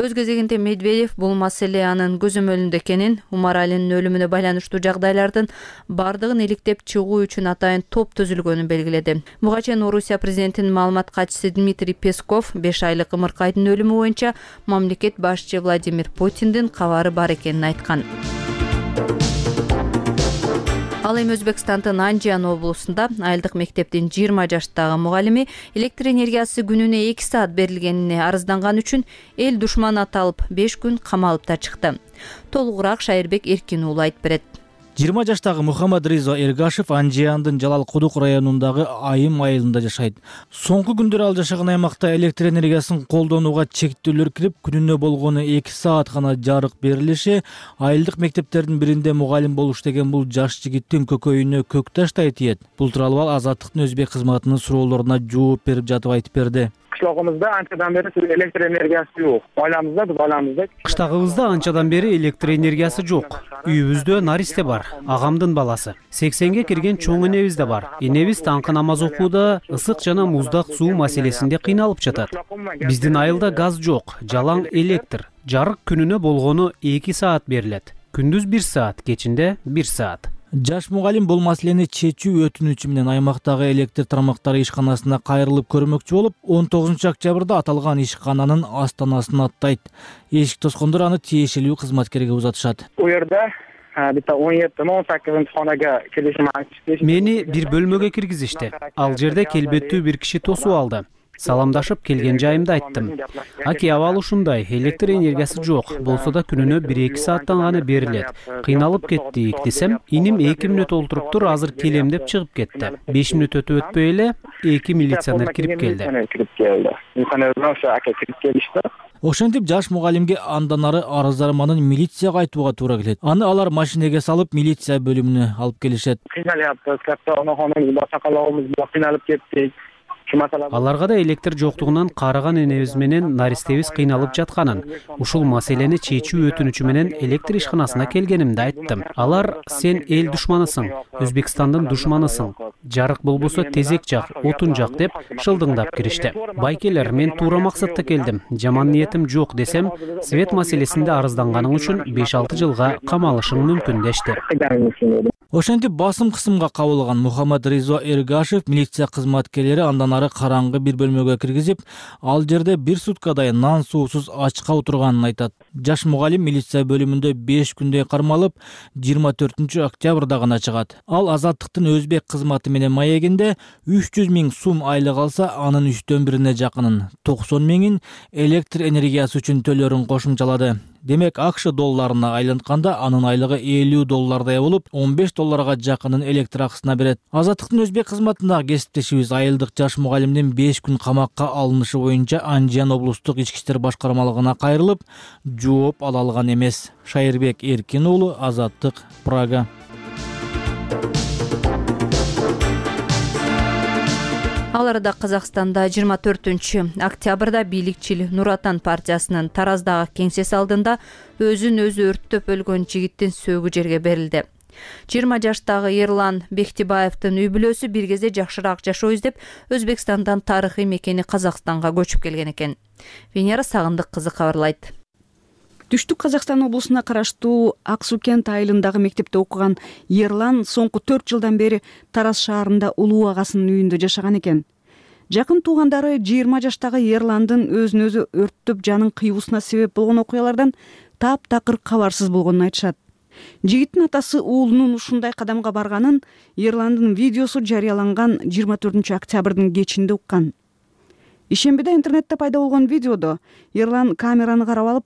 Өз кезегинде Медведев бул маселе анын көзөмөлүндө экенин, Умаралинин өлүмүнө байланыштуу жагдайлардын бардыгын иликтеп чыгуу үчүн атайын топ түзүлгөнүн белгиледи. Буга чейин Орусия президентинин маалымат катчысы Дмитрий Песков 5 айлык Ымыркайдын өлүмү боюнча мамлекет башчы Владимир Путиндин кабары бар экенин айткан. Ал эми Өзбекстандын Анжан облусунда айылдык мектептин 20 жаштагы мугалими электр энергиясы күнүнө 2 саат берилгенине арызданган үчүн эл душманы аталып 5 күн камалып да чыкты. Толугураак Шайырбек Эркин уулу айтып берет. 20 жаштагы Мухаммад Ризо Эргашев Анжиандын Жалал Кудук районундагы Айым айылында жашайт. Соңку күндөр ал жашаган аймакта электр энергиясын колдонууга чектөөлөр кирип, күнүнө болгону 2 саат гана жарык берилиши айылдык мектептердин биринде мугалим болуш деген бул жаш жигиттин көкөйүнө көк таштай тиет. Бул тууралуу ал Азаттыктын өзбек кызматынын суроолоруна жооп берип жатып айтып берди. Кыштагыбызда анчадан бери электр энергиясы жок. Айламызда. Кыштагыбызда анчадан бери электр энергиясы жок. Үйүбүздө наристе бар, агамдын баласы. 80ге кирген чоң энебиз да бар. Энебиз таңкы намаз окууда ысык жана муздак суу маселесинде кыйналып жатат. Биздин айылда газ жок, жалаң электр. Жарык күнүнө болгону 2 саат берилет. Күндүз 1 саат, кечинде 1 саат. Жаш мугалим бул маселени чечүү өтүнүчү менен аймактагы электр тармактары ишканасына кайрылып көрмөкчү болуп, 19-октябрда аталган ишкананын астанасын аттайт. Эшик тоскондор аны тиешелүү кызматкерге узатышат. У жерде бита 17-18-хонага келишим айтышты. Мени бир бөлмөгө киргизишти. Ал жерде келбеттүү бир киши тосуп алды. Саламдашып келген жайымды айттым. Аки абал ушундай, электр энергиясы жок, болсо да күнүнө 1-2 сааттан гана берилет. Кыйналып кеттик десем, иним 2 мүнөт олтуруптур, азыр келем деп чыгып кетти. 5 мүнөт өтүп өтпөй эле 2 милиционер кирип келди. Ошентип жаш мугалимге андан ары арыздарманын милицияга айтууга туура келет. Аны алар машинеге салып милиция бөлүмүнө алып келишет. Кыйналып кеттик. Аларга да электр жоктугунан карыган энебиз менен наристебиз кыйналып жатканын, ушул маселени чечүү өтүнүчү менен электр ишканасына келгенимди айттым. Алар сен эл душманысың, Өзбекстандын душманысың. Жарык болбосо тезек жак, отун жак деп шылдыңдап киришти. Байкелер, мен туура максатта келдим. Жаман ниетим жок десем, свет маселесинде арызданганың үчүн 5-6 жылга камалышың мүмкүн дешти. Ошентип басым кысымга кабылган Мухаммад Ризо Эргашев милиция кызматкерлери андан ары караңгы бир бөлмөгө киргизип, ал жерде 1 суткадай нан суусуз ачка отурганын айтат. Жаш мугалим милиция бөлүмүндө 5 күндөй кармалып, 24-октябрда гана чыгат. Ал Азаттыктын өзбек кызматы менен маегинде 300 000 сум айлык алса, анын 1/3 жакынын 90 000 электр энергиясы үчүн төлөрүн кошумчалады. Демек, АКШ долларына айлантканда анын айлыгы $50 болуп, $15 жакынын электр акысына берет. Азаттыктын өзбек кызматындагы кесиптешибиз айылдык жаш мугалимдин 5 күн камакка алынышы боюнча Анжан облустук ички иштер башкармалыгына кайрылып, жооп ала алган эмес. Шайырбек Эркин уулу, Азаттык, Прага. Ал арада Казакстанда 24-октябрда бийликчил Нур Отан партиясынын Тараздагы кеңсеси алдында өзүн өзү өрттөп өлгөн жигиттин сөөгү жерге берилди. 20 жаштагы Ерлан Бектибаевдин үй бүлөсү бир кезде жакшыраак жашоо издеп Өзбекстандан тарыхый мекени Казакстанга көчүп келген экен. Венера Сагындык кызы кабарлайт. Түштүк Казакстан облусуна караштуу Ак Суу кент айылындагы мектепте окуган Ерлан соңку 4 жылдан бери Тараз шаарында улуу агасынын үйүндө жашаган экен. Жакын туугандары 20 жаштагы Ерландын өзүн өзү өрттөп жанын кыйуусуна себеп болгон окуялардан таптакыр кабарсыз болгонун айтышат. Жигиттин атасы уулунун ушундай кадамга барганын Ерландын видеосу жарыяланган 24 октябрдын кечинде уккан. Ишембиде интернетте пайда болгон видеодо Ерлан камераны карап алып: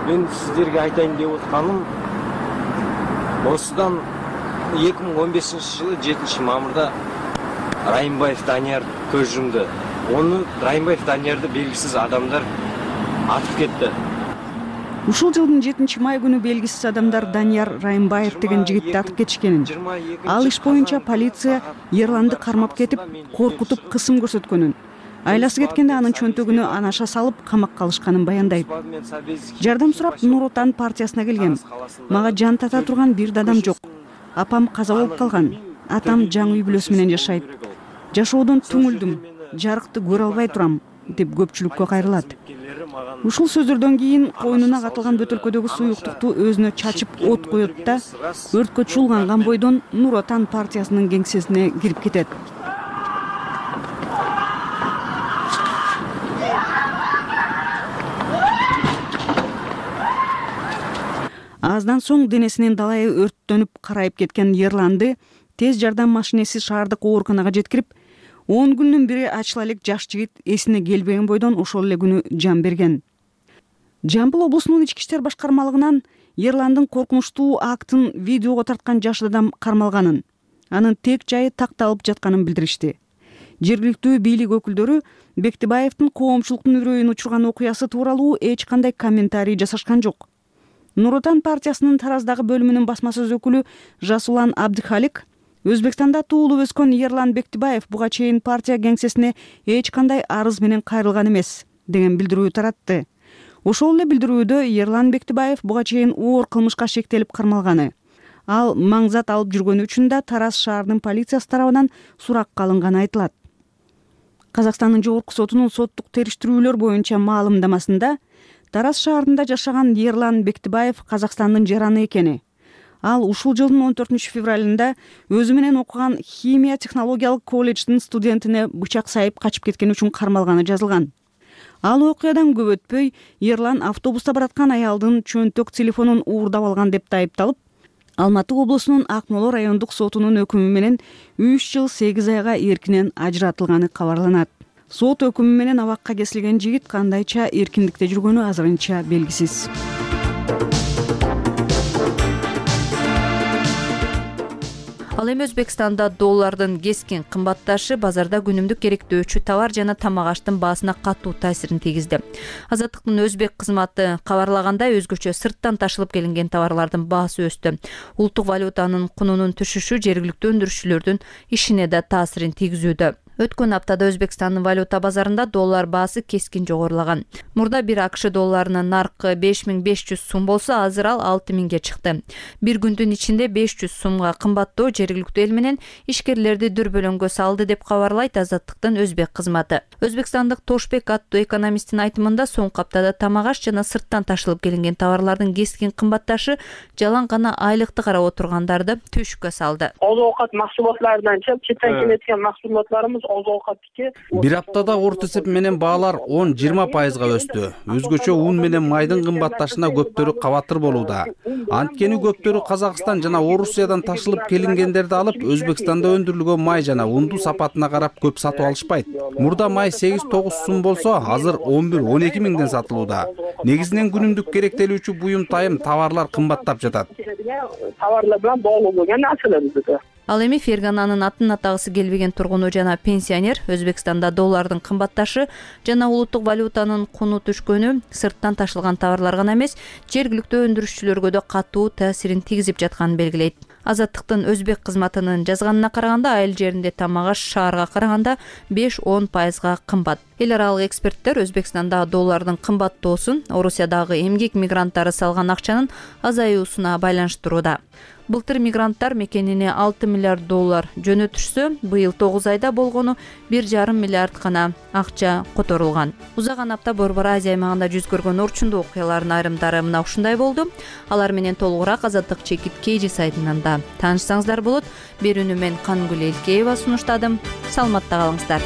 "Мен сиздерге айтайын деп атканым, осудан 2015 жылы 7 мамырда Райымбаев Данияр көз жумду. Оны Райымбаев Даниярды белгисиз адамдар атып кетти. Ушул жылдын 7 май күнү белгисиз адамдар Данияр Райымбаев деген жигитти атып кетишкенин. Ал иш боюнча полиция Ерланды кармап кетип, коркутуп, кысым көрсөткөнүн, айласы кеткенде анын чөнтөгүнө анаша салып камакка алышканын баяндайт. Жардам сурап Нур Отан партиясына келгем. Мага жан тата турган бир да адам жок. Апам каза болуп калган. Атам жаңы үй бүлөсү менен жашайт. Жашоодон түңүлдүм. Жарыкты көрө албай турам, деп көпчүлүккө кайрылат. Ушул сөздөрдөн кийин койнуна катылган бөтөлкөдөгү суюктукту өзүнө чачып от коет да өрткө чуулганган бойдон Нур Отан партиясынын кеңсесине кирип кетет. Аздан соң денесинин далайы өрттөнүп карайып кеткен Ерланды тез жардам машинеси шаардык ооруканага жеткирип, 10 күндүн бири ачыла элек жаш жигит эсине келбеген бойдон ошол эле күнү жан берген. Жамбыл облусунун ички иштер башкармалыгынан Ерландын коркунучтуу актын видеого тарткан жаш адам кармалганын, анын тек жайы такталып жатканын билдиришти. Жергиликтүү бийлик өкүлдөрү Бектибаевдин коомчулуктун үрөйүн учурган окуясы тууралуу эч кандай комментарий жасашкан жок. Нур Отан партиясынын Тараздагы бөлүмүнүн басма сөз өкүлү Жасулан Абдыхалик Өзбекстанда туулуп өскөн Ерлан Бектибаев буга чейин партия кеңсесине эч кандай арыз менен кайрылган эмес деген билдирүү таратты. Ошол эле билдирүүдө Ерлан Бектибаев буга чейин оор кылмышка шектелип кармалганы, ал маңзат алып жүргөнү үчүн да Тараз шаарынын полициясы тарабынан суракка алынганы айтылат. Казакстандын жогорку сотунун соттук териштирүүлөр боюнча маалымдамасында Тараз шаарында жашаган Ерлан Бектибаев Казакстандын жараны экени. Ал ушул жылдын 14 февралында өзү менен окуган химия технологиялык колледждин студентине бычак сайып качып кеткен үчүн кармалганы жазылган. Ал окуядан көп өтпөй Ерлан автобуста бараткан аялдын чөнтөк телефонун уурдап алган деп айыпталып, Алматы облусунун Акмола райондук сотунун өкүмү менен 3 жыл 8 айга эркинен ажыратылганы кабарланат. Сот өкүмү менен абакка кесилген жигит кандайча эркиндикте жүргөнү азырынча белгисиз. Ал эми Өзбекстанда доллардын кескин кымбатташы базарда күнүмдүк керектөөчү товар жана тамак аштын баасына катуу таасирин тийгизди. Азаттыктын өзбек кызматы кабарлагандай, өзгөчө сырттан ташылып келинген товарлардын баасы өстү. Улуттук валютанын кунунун түшүшү жергиликтүү өндүрүшчүлөрдүн ишине да таасирин тийгизүүдө. Өткөн аптада Өзбекстандын валюта базарында доллар баасы кескин жогорулаган. Мурда бир АКШ долларынын наркы 5500 сум болсо, азыр ал 6000ге чыкты. Бир күндүн ичинде 500 сумга кымбаттоо жергиликтүү эл менен ишкерлерди дүрбөлөңгө салды деп кабарлайт Азаттыктын өзбек кызматы. Өзбекстандык Тошбек аттуу экономисттин айтымында, соңку аптада тамак аш жана сырттан ташылып келинген товарлардын кескин кымбатташы жалаң гана айлыкты карап отургандарды түшкө салды. Оозоокат максулатларынан четтен келеткен максулатларыбыз Бир аптада орто эсеп менен баалар 10-20% өстү. Өзгөчө ун менен майдын кымбатташына көптөрү кабатыр болууда. Анткени көптөрү Казакстан жана Орусиядан ташылып келингендерди алып, Өзбекстанда өндүрүлгөн май жана унду сапатына карап көп сатып алышпайт. Мурда май 8-9 сум болсо, азыр 11-12 миңден сатылууда. Негизинен күнүмдүк керектелүүчү буюм тайым товарлар кымбаттап жатат. Товарлар менен долуу болгон нерселер. Ал эми Фергананын атын атагысы келбеген тургуну жана пенсионер Өзбекстанда доллардын кымбатташы жана улуттук валютанын куну түшкөнү сырттан ташылган товарлар гана эмес, жергиликтүү өндүрүшчүлөргө да катуу таасирин тийгизип жатканын белгилейт. Азаттыктын өзбек кызматынын жазганына караганда, айыл жеринде тамак аш шаарга караганда 5-10% кымбат. Эл аралык эксперттер Өзбекстанда доллардын кымбаттоосун Орусиядагы эмгек мигранттары салган акчанын азаюусуна байланыштырууда. Былтыр мигранттар мекенине 6 миллиард доллар жөнөтүшсө, быйыл 9 айда болгону 1,5 миллиард гана акча которулган. Узаган апта Борбор Азия аймагында жүз көргөн орчундуу окуялардын айрымдары мына ушундай болду. Алар менен толугураак Азаттык чекит KG сайтынан да таанышсаңыздар болот. Берүүнү мен Кангүл Элкеева сунуштадым. Саламатта калыңыздар.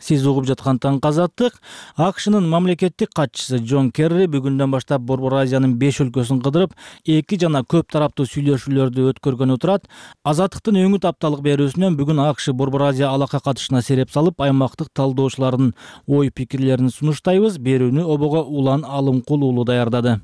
Сиз угуп жаткан Таңкы Азаттык. АКШнын мамлекеттик катчысы Джон Керри бүгүндөн баштап Борбор Азиянын 5 өлкөсүн кыдырып, 2 жана көп тараптуу сүйлөшүүлөрдү өткөргөнү турат. Азаттыктын өңүт апталык берүүсүнөн бүгүн АКШ Борбор Азия алака катышына сереп салып, аймактык талдоочулардын ой пикирлерин сунуштайбыз. Берүүнү обого Улан Алымкул уулу даярдады.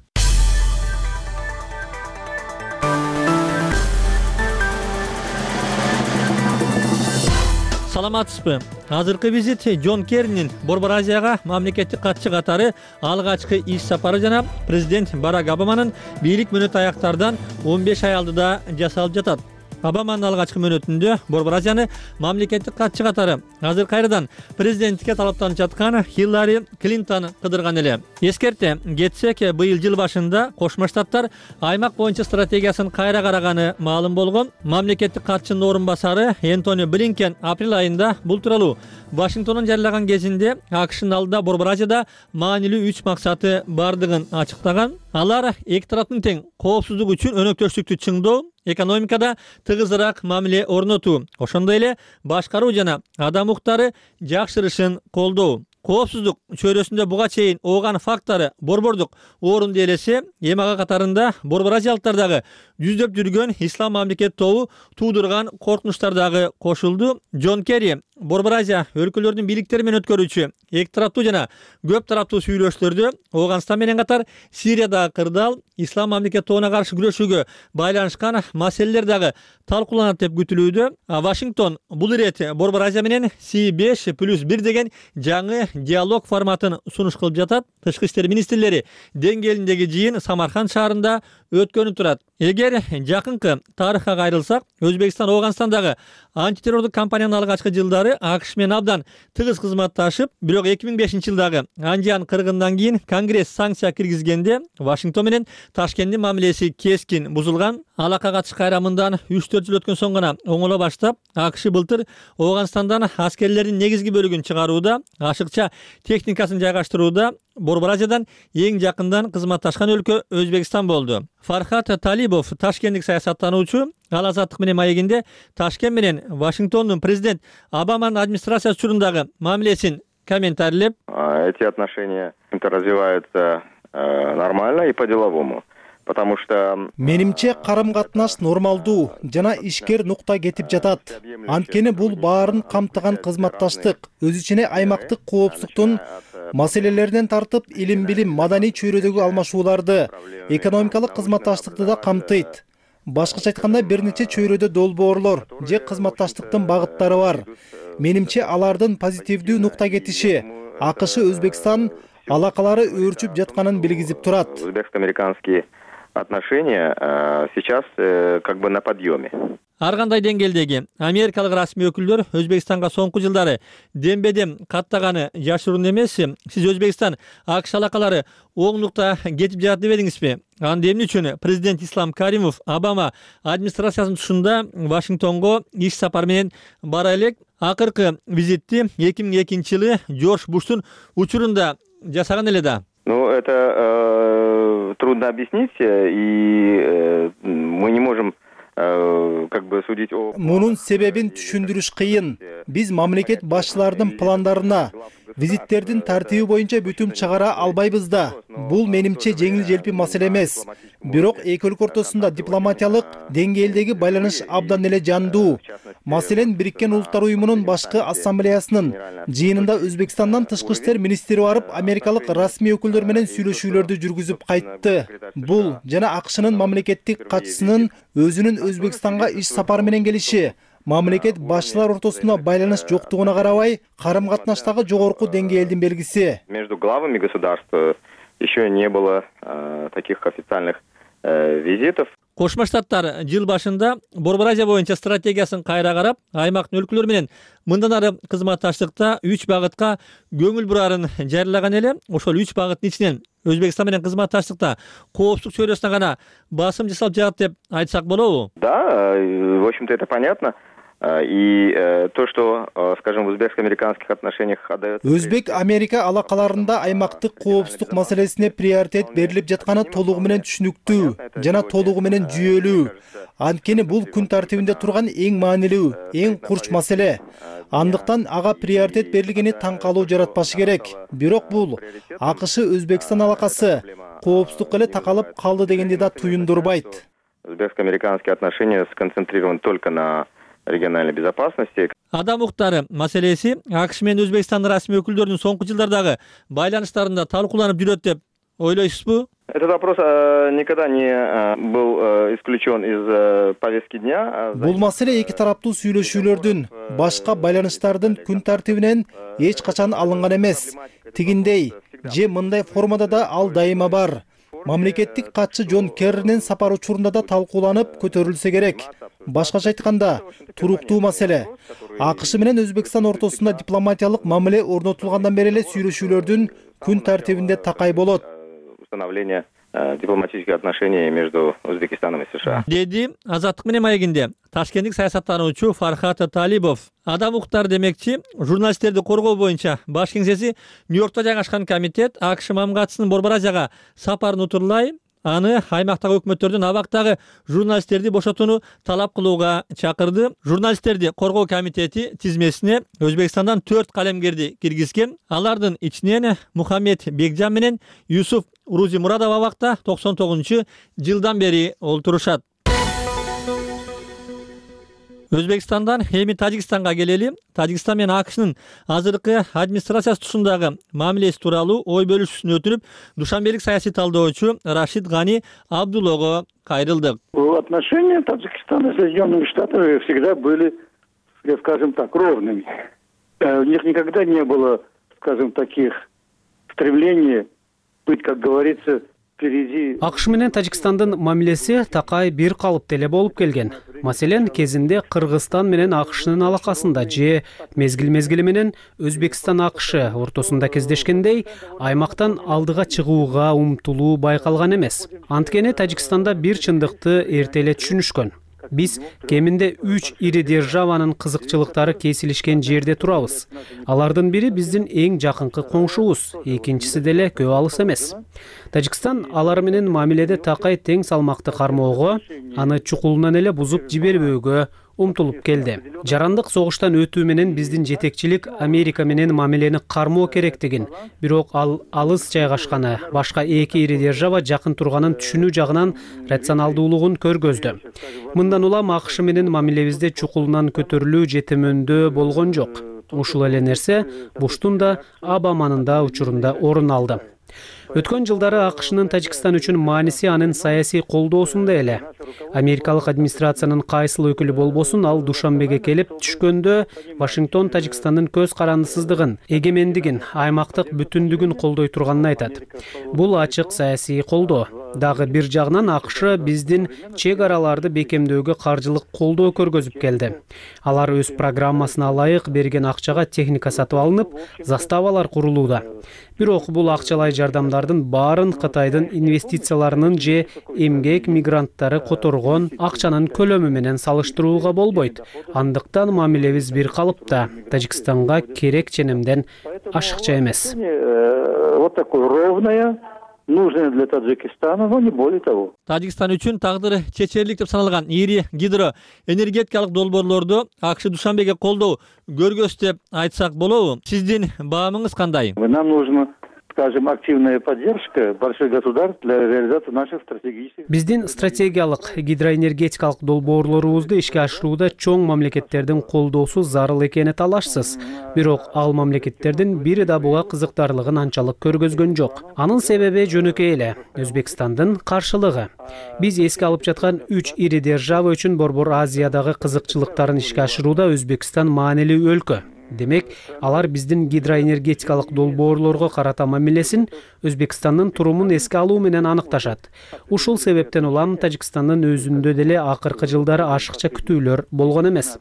Саламатсызбы? Азыркы визит Джон Керринин Борбор Азияга мамлекеттик катчы катары алгачкы иш сапары жана президент Барак Обаманын бийлик мөөнөтү аяктардан 15 ай алдыда жасалып жатат. Обаманын алгачкы мөөнөтүндө Борбор Азияны мамлекеттик катчы катары азыр кайрадан президенттикке талаптанып жаткан Хиллари Клинтон кыдырган эле. Эскерте кетсек, быйыл жыл башында Кошмо Штаттар аймак боюнча стратегиясын кайра караганы маалым болгон. Мамлекеттик катчынын орун басары Энтони Блинкен апрель айында бул тууралуу Вашингтондон жарыялаган кезинде АКШнын алдында Борбор Азияда маанилүү 3 максаты бардыгын ачыктаган. Алар эки тараптын тең коопсуздук үчүн өнөктөштүктү чыңдоо, экономикада тыгызыраак мамиле орнотуу, ошондой эле башкаруу жана адам укуктары жакшырышын колдоо. Коопсуздук чөйрөсүндө буга чейин ооган факттары борбордук орунду ээлесе, эми ага катарында Борбор Азиялыктар дагы жүздөп жүргөн ислам мамлекет тобу туудурган коркунучтар дагы кошулду. Джон Керри Борбор Азия өлкөлөрүнүн бийликтери менен өткөрүүчү эки тараптуу жана көп тараптуу сүйлөшүүлөрдө Ооганстан менен катар Сириядагы кырдаал, ислам мамлекет тобуна каршы күрөшүүгө байланышкан маселелер дагы талкууланат деп күтүлүүдө. Вашингтон бул ирет Борбор Азия менен C5+1 деген жаңы диалог форматын сунуш кылып жатат. Тышкы иштер министрлери деңгээлиндеги жыйын Самарканд шаарында өткөнүп турат. Эгер жакынкы тарыхка кайрылсак, Өзбекстан Ооганстандагы антитеррорлук кампаниянын алгачкы жылдары АКШ менен абдан тыгыз кызматташып, бирок 2005-жылдагы Анжан кыргынынан кийин Конгресс санкция киргизгенде Вашингтон менен Ташкенттин мамилеси кескин бузулган. Алака катыш кайрамындан 3-4 жыл өткөн соң гана оңоло баштап, АКШ былтыр Ооганстандан аскерлердин негизги бөлүгүн чыгарууда, ашыкча техникасын жайгаштырууда Борбор Азиядан эң жакындан кызматташкан өлкө Өзбекстан болду. Фархат Талибов, ташкенттик саясаттануучу, ал Азаттык менен маегинде Ташкент менен Вашингтондун президент Обаманын администрациясы учурундагы мамилесин комментарийлеп: Эти отношения развиваются нормально и по-деловому. Потому что менимче карым-катнаш нормалдуу жана ишкер нукта кетип жатат. Анткени бул баарын камтыган кызматташтык, өз ичине аймактык коопсуздуктун маселелеринен тартып, илим-билим, маданий чөйрөдөгү алмашууларды, экономикалык кызматташтыкты да камтыйт. Башкача айтканда, бир нече чөйрөдө долбоорлор же кызматташтыктын багыттары бар. Менимче алардын позитивдүү нукта кетиши АКШ Өзбекстан алакалары өөрчүп жатканын билгизип турат. Өзбекско-американские отношения сейчас как бы на подъеме. Ар кандай деңгээлдеги америкалык расмий өкүлдөр Өзбекстанга соңку жылдары дембедем каттаганы жашыруун эмес. Сиз Өзбекстан АКШ алакалары оң нукта кетип жатат дебедиңизби? Анда эмне үчүн президент Ислам Каримов Обама администрациясынын тушунда Вашингтонго иш сапар менен бара элек? Акыркы визитти 2002-жылы Джордж Буштун учурунда жасаган эле да. Ну, это трудно объяснить, и мы не можем как бы судить о... Мунун себебин түшүндүрүш кыйын. Биз мамлекет башчыларынын пландарына, визиттердин тартиби боюнча бүтүм чыгара албайбыз да. Бул менимче жеңил желпи маселе эмес. Бирок эки өлкө ортосунда дипломатиялык деңгээлдеги байланыш абдан эле жандуу. Маселен, Бириккен Улуттар Уюмунун башкы ассамблеясынын жыйынында Өзбекстандан тышкы иштер министри барып, америкалык расмий өкүлдөр менен сүйлөшүүлөрдү жүргүзүп кайтты. Бул жана АКШнын мамлекеттик катчысынын өзүнүн Өзбекстанга иш сапары менен келиши мамлекет башчылар ортосунда байланыш жоктугуна карабай, карым-катнаштагы жогорку деңгээлдин белгиси. Между главами государств еще не было таких официальных визитов. Кошмо Штаттар жыл башында Борбор Азия боюнча стратегиясын кайра карап, аймактын өлкөлөрү менен мындан ары кызматташтыкта 3 багытка көңүл бурарын жарыялаган эле. Ошол 3 багыттын ичинен Өзбекстан менен кызматташтыкта коопсуздук чөйрөсүнө гана басым жасалып жатат деп айтсак болобу? Да, в общем-то это понятно. И то, что, скажем, в узбекско-американских отношениях отдается... Өзбек-Америка алакаларында аймактык коопсуздук маселесине приоритет берилип жатканы толугу менен түшүнүктүү жана толугу менен жүйөлүү. Анткени бул күн тартибинде турган эң маанилүү, эң курч маселе. Андыктан ага приоритет берилгени таң калуу жаратпашы керек. Бирок бул АКШ Өзбекстан алакасы коопсуздукка эле такалып калды дегенди да туюндурбайт. Узбекско-американские отношения сконцентрированы только на региональной безопасности. Адам укуктары маселеси АКШ менен Өзбекстандын расмий өкүлдөрүнүн соңку жылдардагы байланыштарында талкууланып жүрөт деп ойлойсузбу? Этот вопрос никогда не был исключен из повестки дня. Бул маселе эки тараптуу сүйлөшүүлөрдүн, башка байланыштардын күн тартибинен эч качан алынган эмес. Тигиндей же мындай формада да ал дайыма бар. Мамлекеттик катчы Джон Керринин сапар учурунда да талкууланып көтөрүлсө керек. Башкача айтканда, туруктуу маселе. АКШ менен Өзбекстан ортосунда дипломатиялык мамиле орнотулгандан бери эле сүйлөшүүлөрдүн күн тартибинде такай болот. Установление дипломатических отношений между Узбекистаном и США. Деди Азаттык менен маегинде ташкенттик саясаттануучу Фархат Талибов. Адам укуктары демекчи, журналисттерди коргоо боюнча баш кеңсеси Нью-Йоркто жайгашкан комитет АКШ мамгатчысынын Борбор Азияга сапарын утурлай, аны аймактагы өкмөттөрдүн абактагы журналисттерди бошотууну талап кылууга чакырды. Журналисттерди коргоо комитети тизмесине Өзбекстандан 4 калемгерди киргизген. Алардын ичинен Мухаммед Бекжан менен Юсуф Урузи Мурадов абакта 99-жылдан бери олтурушат. Өзбекстандан эми Тажикстанга келели. Тажикстан менен АКШнын азыркы администрациясы тушундагы мамилеси тууралуу ой бөлүшүүсүн өтүнүп, душанбелик саясий талдоочу Рашид Гани Абдуллого кайрылдык. Отношения Таджикистана с Соединенными Штатами всегда были, скажем так, ровными. У них никогда не было, скажем, таких стремлений быть, как говорится, АКШ менен Тажикстандын мамилеси такай бир калыпта эле болуп келген. Маселен, кезинде Кыргызстан менен АКШнын алакасында же мезгил менен Өзбекстан АКШ ортосунда кездешкендей, аймактан алдыга чыгууга умтулуу байкалган эмес. Анткени Тажикстанда бир чындыкты эрте эле түшүнүшкөн. Биз кеминде 3 ири державанын кызыкчылыктары кесилишкен жерде турабыз. Алардын бири биздин эң жакынкы коңшубуз, экинчиси деле көп алыс эмес. Тажикстан алар менен мамиледе такай тең салмакты кармоого, аны чукулунан эле бузуп жибербөөгө умтулуп келди. Жарандык согуштан өтүү менен биздин жетекчилик Америка менен мамилени кармоо керектигин, бирок ал алыс жайгашканы, башка эки ири держава жакын турганын түшүнүү жагынан рационалдуулугун көргөздү. Мындан улам АКШ менен мамилебизде чукулунан көтөрүлүү жетемөндө болгон жок. Ушул эле нерсе Буштун да Обаманын да учурунда орун алды. Өткөн жылдары АКШнын Тажикстан үчүн мааниси анын саясий колдоосунда эле. Америкалык администрациянын кайсыл өкүлү болбосун, ал Душанбеге келип түшкөндө Вашингтон Тажикстандын көз карандысыздыгын, эгемендигин, аймактык бүтүндүгүн колдой турганын айтат. Бул ачык саясий колдоо. Дагы бир жагынан АКШ биздин чек араларды бекемдөөгө каржылык колдоо көргөзүп келди. Алар өз программасына ылайык берген акчага техника сатып алынып, заставалар курулууда. Бирок бул акчалай жардамдардын баарын Кытайдын инвестицияларынын же эмгек мигранттары которгон акчанын көлөмү менен салыштырууга болбойт. Андыктан мамилебиз бир калыпта. Тажикстанга керек ченемден ашыкча эмес. Вот такое ровное, нужное для Таджикистана, но не более того. Тажикстан үчүн тагдыры чечерлик деп саналган ири гидроэнергетикалык долбоорлорду АКШ Душанбеге колдоо көргөз деп айтсак болобу? Сиздин баамыңыз кандай? Нам нужно, скажем, активная поддержка больших государств для реализации наших стратегических... Биздин стратегиялык гидроэнергетикалык долбоорлорубузду ишке ашырууда чоң мамлекеттердин колдоосу зарыл экени талашсыз. Бирок ал мамлекеттердин бири да буга кызыктарлыгын анчалык көргөзгөн жок. Анын себеби жөнөкөй эле Өзбекстандын каршылыгы. Биз эске алып жаткан 3 ири держава үчүн Борбор Азиядагы кызыкчылыктарын ишке ашырууда Өзбекстан маанилүү өлкө. Демек, алар биздин гидроэнергетикалык долбоорлорго карата мамилесин Өзбекстандын турумун эске алуу менен аныкташат. Ушул себептен улам Тажикстандын өзүндө деле акыркы жылдары ашыкча күтүүлөр болгон эмес.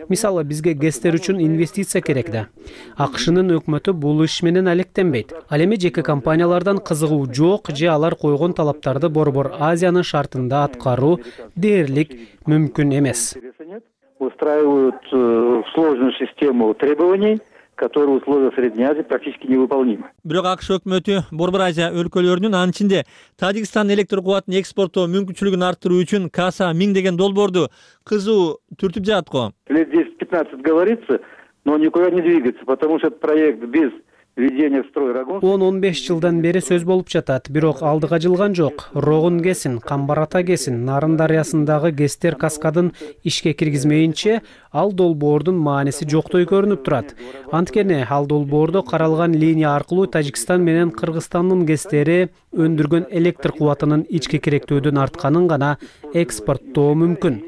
Мисалы, бизге ГЭСтер үчүн инвестиция керек да. АКШнын өкмөтү бул иш менен алектенбейт. Ал эми жеке компаниялардан кызыгуу жок же алар койгон талаптарды Борбор Азиянын шартында аткаруу дээрлик мүмкүн эмес. устраивают сложную систему требований, которые в условиях Средней Азии практически невыполнимы. Бирок АКШ өкмөтү Борбор Азия өлкөлөрүнүн, анын ичинде Тажикстан электр кубатын экспорттоо мүмкүнчүлүгүн арттыруу үчүн Каса 1000 деген долбоорду кызуу түртүп жатат го. Лет 10-15 говорится, но никуда не двигается, потому что этот проект без 10-15 жылдан бери сөз болуп жатат, бирок алдыга жылган жок. Рогун кесин, Камбарата кесин, Нарын дарыясындагы Гестер каскадын ишке киргизмейинче ал долбоордун мааниси жоктой көрүнүп турат. Анткени ал долбоордо каралган линия аркылуу Тажикстан менен Кыргызстандын Гестери өндүргөн электр кубатынын ички керектөөдөн артканын гана экспорттоо мүмкүн.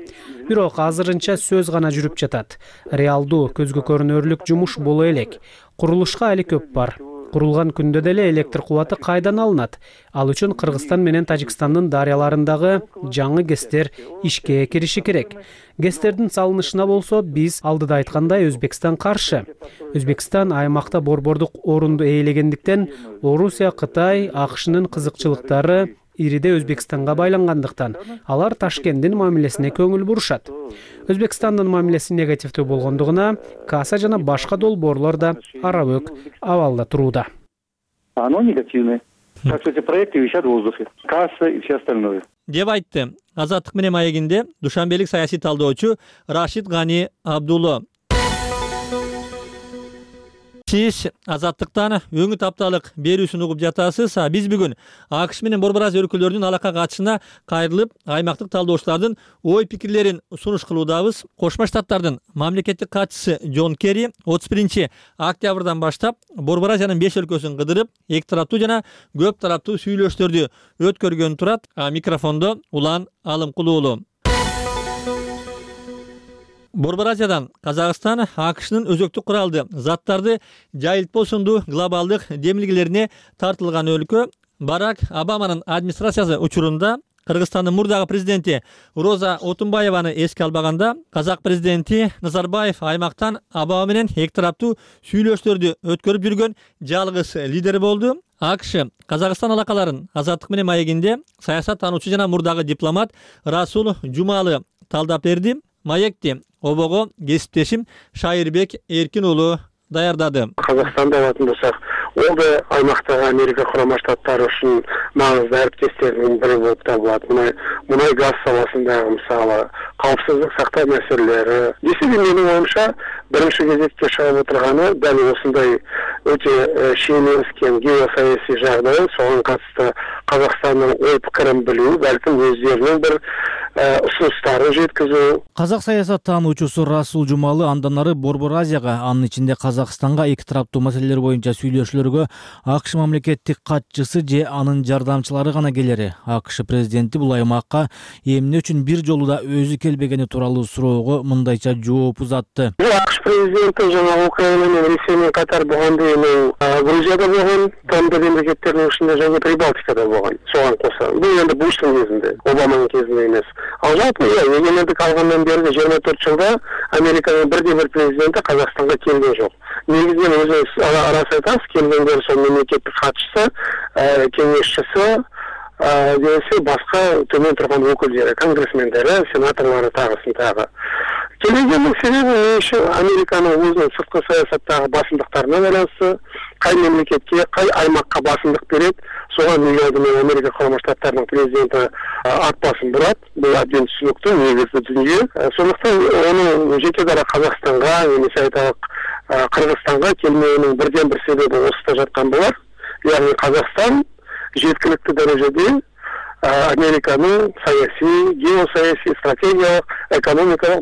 Бирок азырынча сөз гана жүрүп жатат. Реалдуу, көзгө көрүнөрлүк жумуш боло элек. Курулушка али көп бар. Курулган күндө деле электр кубаты кайдан алынат? Ал үчүн Кыргызстан менен Тажикстандын дарыяларындагы жаңы ГЭСтер ишке кириши керек. ГЭСтердин салынышына болсо биз алдыда айткандай Өзбекстан каршы. Өзбекстан аймакта борбордук орунду ээлегендиктен Орусия, Кытай, АКШнын кызыкчылыктары ириде Өзбекстанга байлангандыктан алар Ташкенттин мамилесине көңүл бурушат. Өзбекстандын мамилеси негативдүү болгондугуна Каса жана башка долбоорлор да арабөк абалда турууда. Оно негативное. Так что эти проекты висят в воздухе. Касса и все остальное. Деп айтты Азаттык менен маегинде душанбелик саясий талдоочу Рашид Гани Абдулло. Сиз Азаттыктан өңүт апталык берүүсүн угуп жатасыз. Биз бүгүн АКШ менен Борбор Азия өлкөлөрүнүн алака катышына кайрылып, аймактык талдоочулардын ой пикирлерин сунуш кылуудабыз. Кошмо Штаттардын мамлекеттик катчысы Джон Керри 31 октябрдан баштап Борбор Азиянын 5 өлкөсүн кыдырып, эки тараптуу жана көп тараптуу сүйлөштөрдү өткөргөн турат. Микрофондо Улан Алымкулуулу. Борбор Азиядан Казакстан АКШнын өзөктүк куралды заттарды жайылтпосундуу глобалдык демилгелерине тартылган өлкө. Барак Обаманын администрациясы учурунда Кыргызстандын мурдагы президенти Роза Отунбаеваны эске албаганда, Казак президенти Назарбаев аймактан Обама менен эки тараптуу сүйлөштөрдү өткөрүп жүргөн жалгыз лидер болду. АКШ Казакстан алакаларын Азаттык менен маегинде саясат таануучу жана мурдагы дипломат Расул Жумалы талдап берди. Маекти обого кесиптешим Шайырбек Эркин уулу даярдады. Казакстанда алатын болсак, ол да аймактагы Америка Курама Штаттары үчүн маңызды әріптестердің бірі болып табылады. Мұнай газ саласындағы мысалы қауіпсіздік сақтау мәселелері. Десе де менің ойымша бірінші кезекте шығып отырғаны дәл осындай өте шиеленіскен геосаяси жағдай, соған қатысты Қазақстанның ой пікірін білу, бәлкім өздерінің бір ұсыныстарын жеткізу. Казак саясаттануучусу Расул Жумалы андан ары Борбор Азияга, анын ичинде Казакстанга эки тараптуу маселелер боюнча сүйлөшүүлөргө АКШ мамлекеттик катчысы же анын жардамчылары гана келери. АКШ президенти бул аймакка эмне үчүн бир жолу да өзү келбегени тууралуу суроого мындайча жооп узатты. АКШ президенти жана Украина менен Ресей менен катар болгондо эми Грузияда болгон, тмд мемлекеттеринин ичинде жана Прибалтикада болгон. Соған коса. Бул энди Буштун кезинде, Обаманын кезинде эмес. Ал жалпы эгемендик алгандан берги 24 жылда Американын бирде-бир президенти Казакстанга келген жок. Негизинен өзү арасы айтасыз, келгендер сол мемлекеттик катчысы, кеңешчиси, десе башка төмөн турган өкүлдөрү, конгрессмендери, сенаторлору тагысын тагы. Келгендин себеби Американын өзүнүн сырткы саясаттагы басымдыктарына байланыштуу, кай мемлекетке, кай аймакка басымдык берет, соған негизинен Америка Курама Штаттарынын президенти ат басын бурат. Бул абдан түшүнүктүү, негизги дүнүйө. Сондуктан онун жеке дара Казакстанга, немесе айтайлык Кыргызстанга келмеğinin birden bir sebebi osуда жаткан болар. Яғни Казакстан жеткиликтүү дәрежеде Американын саясий, геосаясий, стратегиялык, экономикалык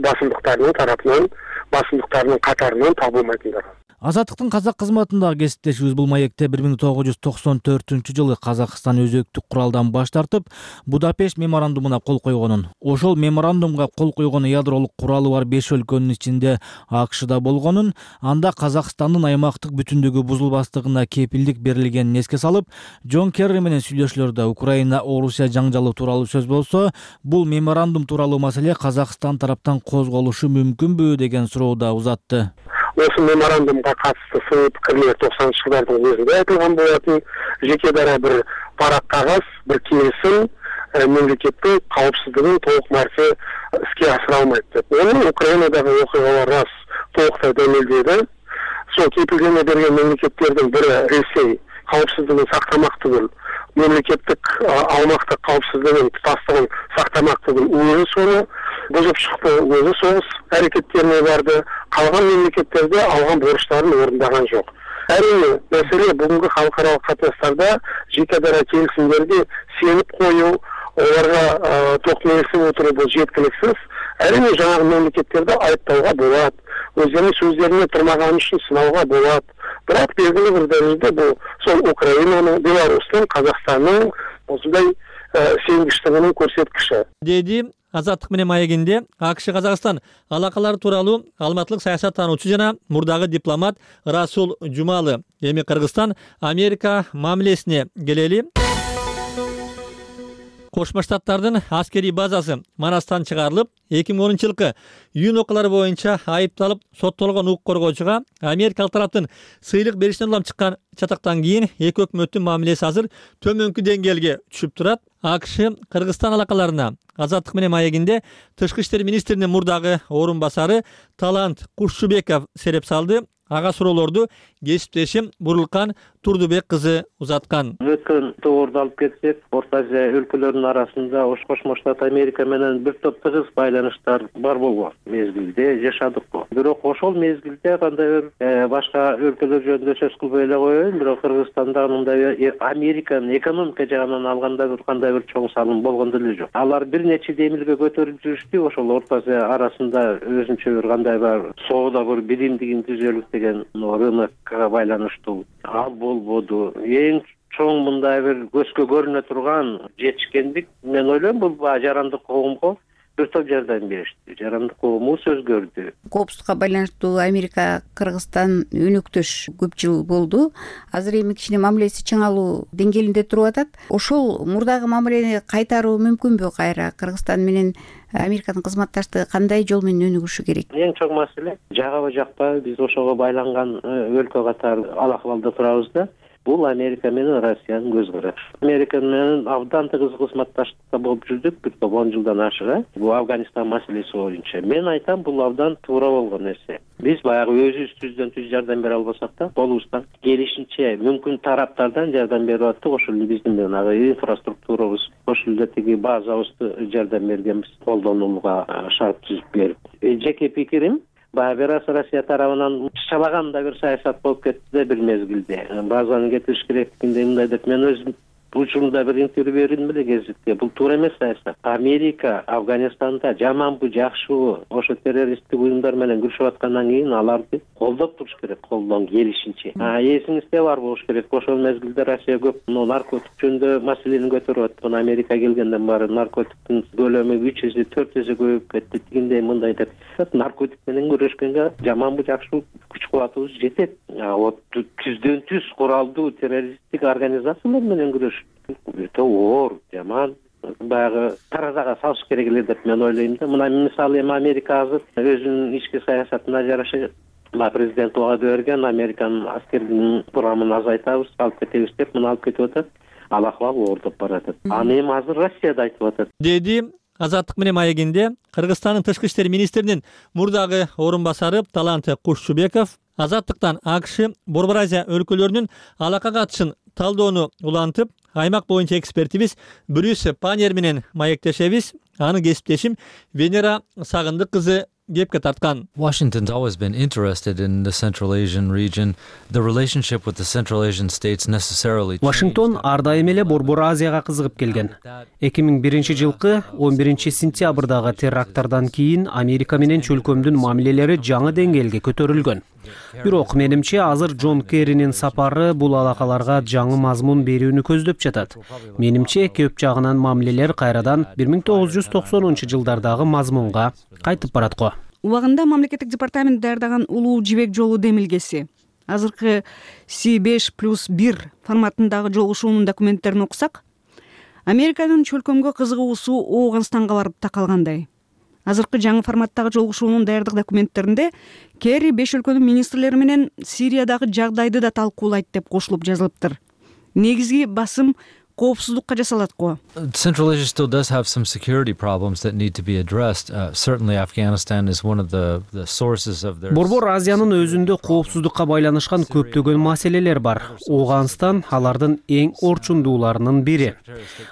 басымдыктарынын катарынан табылмайтындар. Азаттыктын казак кызматындагы кесиптешибиз бул маекте 1994-жылы Казакстан өзөктүк куралдан баш тартып, Будапешт меморандумуна кол койгонун. Ошол меморандумга кол койгон ядролук куралы бар 5 өлкөнүн ичинде АКШда болгонун, анда Казакстандын аймактык бүтүндүгү бузулбастыгына кепилдик берилгенин эске салып, Джон Керри менен сүйлөшүүлөрдө Украина, Орусия жаңжалы тууралуу сөз болсо, бул меморандум тууралуу маселе Казакстан тараптан козголушу мүмкүнбү деген сурооду узатты. Осы меморандумга катысты сый пикирлер 90-жылдардын өзүндө айтылган болотун. Жеке дара бир парак кагаз, бир келисим мемлекеттин каопсуздугун толук маарча иске асыра алмайт деп. Оны Украинадагы окуялар рас толуктай демилдейди. Сол кепилдеме берген мемлекеттердин бири Ресей кауіпсіздігін сақтамақ түгіл, мемлекеттік аумақтық қауіпсіздігін тұтастығын сақтамақ түгіл өзі соны бұзып шықты, өзі соғыс әрекеттеріне барды, қалған мемлекеттерде алған борыштарын орындаған жоқ. Әрине мәселе бүгінгі халықаралық қатынастарда жеке дара келісімдерге сеніп қою, оларға тоқталысып отыру бұл жеткіліксіз. Әрине жаңағы мемлекеттерді айыптауға болады, өздерінің сөздеріне тұрмағаны үшін сынауға болады. Бірақ белгілі бір дәрежеде бұл сол Украинаның, Беларустың, Қазақстанның осындай сенгіштігінің көрсеткіші. Деди Азаттык менен маегинде АКШ Казакстан алакалары тууралуу алматылык саясаттануучу жана мурдагы дипломат Расул Жумалы. Эми Кыргызстан Америка мамилесине келели. Кошмо Штаттардын аскерий базасы Манастан чыгарылып, 2010-жылкы июнь окуялары боюнча айыпталып соттолгон укук коргоочуга америкалык тараптын сыйлык беришинен улам чыккан чатактан кийин эки өкмөттүн мамилеси азыр төмөнкү деңгээлге түшүп турат. АКШ Кыргызстан алакаларына Азаттык менен маегинде тышкы иштер министринин мурдагы орун басары Талант Кушчубеков сереп салды. Ага суроолорду кесиптешим Бурулкан Турдубек кызы узаткан. Өткөн тоорду алып кетсек, Орто Азия өлкөлөрүнүн арасында Кошмо Штат Америка менен бир топ тыгыз байланыштар бар болгон мезгилде жашадык. Бирок ошол мезгилде кандай бир башка өлкөлөр жөнүндө сөз кылбай эле коеюн, бирок Кыргызстанда мындай Американын экономика жагынан алганда бир кандай бир чоң салым болгон деле жок. Алар бир нече демилге көтөрүлүп жүрүштү, ошол Орто Азия арасында өзүнчө бир кандай бар соода бир биримдигин түзөлүк деген рынокко байланыштуу ал болбоду. Эң чоң мындай бир көзгө көрүнө турган жетишкендик, мен ойлойм, бул жарандык коомго бир топ жардам беришти. Жарандык коому сөз көрдү. Коопсуздукка байланыштуу Америка Кыргызстан өнөктөш көп жыл болду. Азыр эми кичине мамилеси чыңалуу деңгээлинде туруп атат. Ошол мурдагы мамилени кайтаруу мүмкүнбү кайра? Кыргызстан менен Американын кызматташтыгы кандай жол менен өнүгүшү керек? Эң чоң маселе жагабы жакпайбы, биз ошого байланган өлкө катары ал акыбалда турабыз да. Бул Америка менен Россиянын көз карашы. Америка менен абдан тыгыз кызматташтыкта болуп жүрдүк, бир топ 10 жылдан ашыга. Бул Афганистан маселеси боюнча. Мен айтам, бул абдан туура болгон нерсе. Биз баягы өзүбүздөн түз жардам бере албасак да, колубуздан келишинче мүмкүн тараптардан жардам берип аттык. Ошол эле биздин менен инфраструктурабыз, ошол эле тиги базабызды жардам бергенбиз, колдонууга шарт түзүп берип. Жеке пикирим, Россия тарабынан чабагандай бир саясат болуп кетти да бир мезгилде. Базаны кетириш керектигинде мындай деп мен өзүм учурунда бир интервью бердим эле гезитке. Бул туура эмес саясат. Америка Афганистанда жаманбы, жакшыбы, ошо террористтик уюмдар менен күрөшүп аткандан кийин аларды колдоп туруш керек, колдон келишинче. Эсиңизде бар болуш керек. Ошол мезгилде Россия көп наркотик жөнүндө маселени көтөрүп атты. Америка келгенден бары наркотиктин көлөмү 3 эсе 4 эсе көбөйүп кетти. Тигиндей мындай деп. Наркотик менен күрөшкөнгө жаманбы, жакшыбы күч кубатыбыз жетет. Вот түздөн түз куралдуу террористтик организациялар менен күрөш өтө оор, жаман. Баягы таразага салыш керек эле деп мен ойлойм да. Мына мисалы эми Америка азыр өзүнүн ички саясатына жараша президент ваада берген, Американын аскердин курамын азайтабыз, алып кетебиз деп мына алып кетип атат. Ал акыбал оордоп баратат. Аны эми азыр Россияда айтып атат. Деди Азаттык менен маегинде Кыргызстандын тышкы иштер министринин мурдагы орун басары Талант Кушчубеков Азаттыктан АКШ Борбор Азия өлкөлөрүнүн алака катышын талдоону улантып, аймак боюнча экспертибиз Брюс Панер менен маектешебиз. Аны кесиптешим Венера Сагындык кызы кепке тарткан. Washington's always been interested in the Central Asian region. The relationship with the Central Asian states necessarily. Вашингтон ар дайым эле Борбор Азияга кызыгып келген. 2001-жылкы 11-сентябрдагы теракттардан кийин Америка менен чөлкөмдүн мамилелери жаңы деңгээлге көтөрүлгөн. Бирок менимче азыр Джон Керринин сапары бул алакаларга жаңы мазмун берүүнү көздөп жатат. Менимче көп жагынан мамилелер кайрадан 1990-жылдардагы мазмунга кайтып барат го. Убагында мамлекеттик департамент даярдаган улуу жибек жолу демилгеси. Азыркы C5+1 форматындагы жолугушуунун документтерин окусак, Американын чөлкөмгө кызыгуусу Ооганстанга барып такалгандай. Азыркы жаңы форматтагы жолугушуунун даярдык документтеринде Керри 5 өлкөнүн министрлери менен Сириядагы жагдайды да талкуулайт деп кошулуп жазылыптыр. Негизги басым коопсуздукка жасалат го. Central Asia still does have some security problems that need to be addressed. Certainly Afghanistan is one of the sources of their Борбор Азиянын өзүндө коопсуздукка байланышкан көптөгөн маселелер бар. Оогунстан алардын эң орчундууларынын бири.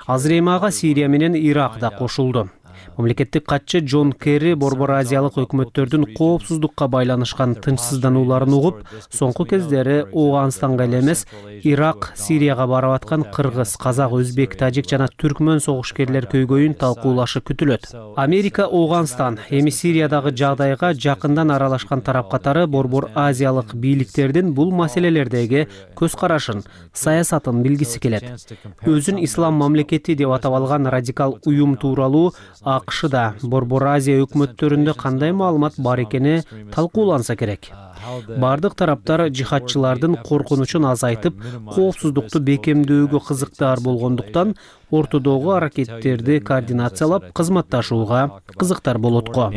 Азыр эми ага Сирия менен Ирак да кошулду. Мамлекеттик катчы Джон Керри Борбор Азиялык өкмөттөрдүн коопсуздукка байланышкан тынчсызданууларын угуп, соңку кездери Оогунстанга эле эмес, Ирак, Сирияга барып аткан кыргыз, казак, өзбек, тажик жана түркмөн согушкерлер көйгөйүн талкуулашы күтүлөт. Америка Оогунстан, эми Сириядагы жагдайга жакындан аралашкан тарап катары Борбор Азиялык бийликтердин бул маселелердеги көз карашын, саясатын билгиси келет. Өзүн ислам мамлекети деп атап алган радикал уюм тууралуу АКШда Борбор Азия өкмөттөрүндө кандай маалымат бар экени талкууланса керек. Бардык тараптар жихадчылардын коркунучун азайтып, коопсуздукту бекемдөөгө кызыктар болгондуктан ортодогу аракеттерди координациялап кызматташууга кызыктар болот го.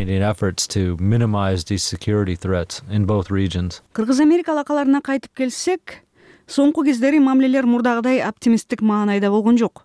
Кыргыз-Америка алакаларына кайтып келсек, соңку кездери мамилелер мурдагыдай оптимисттик маанайда болгон жок.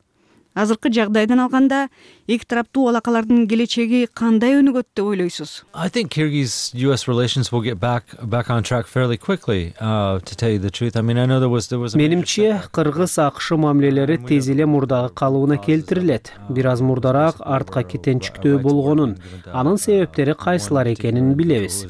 Азыркы жагдайдан алганда эки тараптуу алакалардын келечеги кандай өнүгөт деп ойлойсуз? I think Kyrgyz-US relations will get back on track fairly quickly, to tell you the truth. I mean, I know there was Менимче, Кыргыз-АКШ мамилелери тез эле мурдагы калыбына келтирилет. Бир аз мурдараак артка кетенчиктөө болгонун, анын себептери кайсылар экенин билебиз.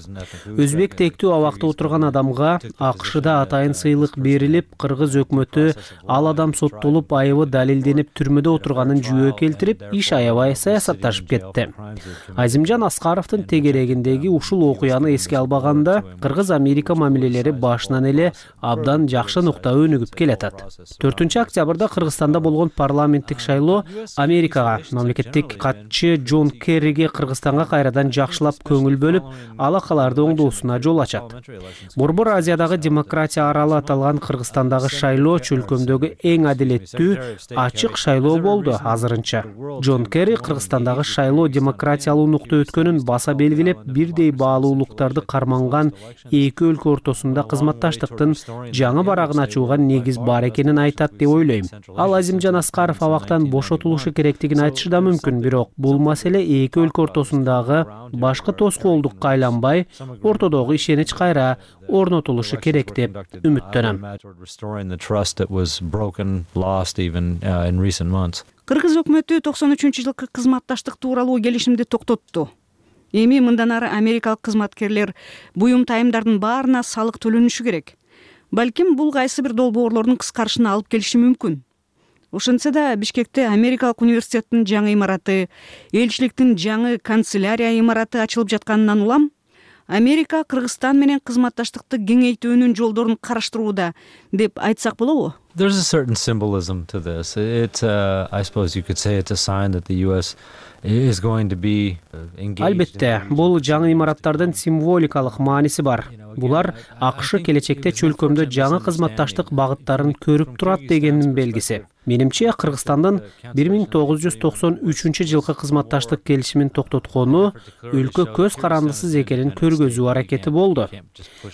Өзбек тектүү абакта отурган адамга АКШда атайын сыйлык берилип, Кыргыз өкмөтү ал адам соттолуп, айыбы далилденип түрмөдө отурганын жүйө келтирип, иш аябай саясатташып кетти. Азимжан Аскаровдун тегерегиндеги ушул окуяны эске албаганда, Кыргыз-Америка мамилелери башынан эле абдан жакшы нукта өнүгүп келатат. 4-октябрда Кыргызстанда болгон парламенттик шайлоо Америкага, мамлекеттик катчы Джон Керриге Кыргызстанга кайрадан жакшылап көңүл бөлүп, алакаларды оңдоосуна жол ачат. Борбор Азиядагы демократия аралы аталган Кыргызстандагы шайлоо чөлкөмдөгү эң адилеттүү, ачык шайлоо болду азырынча. Джон Керри Кыргызстандагы шайлоо демократиялуу нукта өткөнүн баса белгилеп, бирдей баалуулуктарды карманган эки өлкө ортосунда кызматташтыктын жаңы барагын ачууга негиз бар экенин айтат деп ойлойм. Ал Азимжан Аскаров абактан бошотулушу керектигин айтышы да мүмкүн, бирок бул маселе эки өлкө ортосундагы башкы тоскоолдукка айланбай, ортодогу ишенич кайра орнотулушу керек деп үмүттөнөм. Кыргыз өкмөтү 93-жылкы кызматташтык тууралуу келишимди токтотту. Эми мындан ары америкалык кызматкерлер буюм тайымдардын баарына салык төлөнүшү керек. Балким бул кайсы бир долбоорлордун кыскарышына алып келиши мүмкүн. Ошентсе да Бишкекте Америкалык университеттин жаңы имараты, элчиликтин жаңы канцелярия имараты ачылып жатканынан улам, Америка Кыргызстан менен кызматташтыкты кеңейтүүнүн жолдорун караштырууда деп айтсак болобу? There's a certain symbolism to this. It's, I suppose you could say it's a sign that the US is going to be engaged. Албетте, бул жаңы имараттардын символикалык мааниси бар. Булар АКШ келечекте чөлкөмдө жаңы кызматташтык багыттарын көрүп турат дегендин белгиси. Менимче, Кыргызстандын 1993-жылкы кызматташтык келишимин токтоткону өлкө көз карандысыз экенин көргөзүү аракети болду.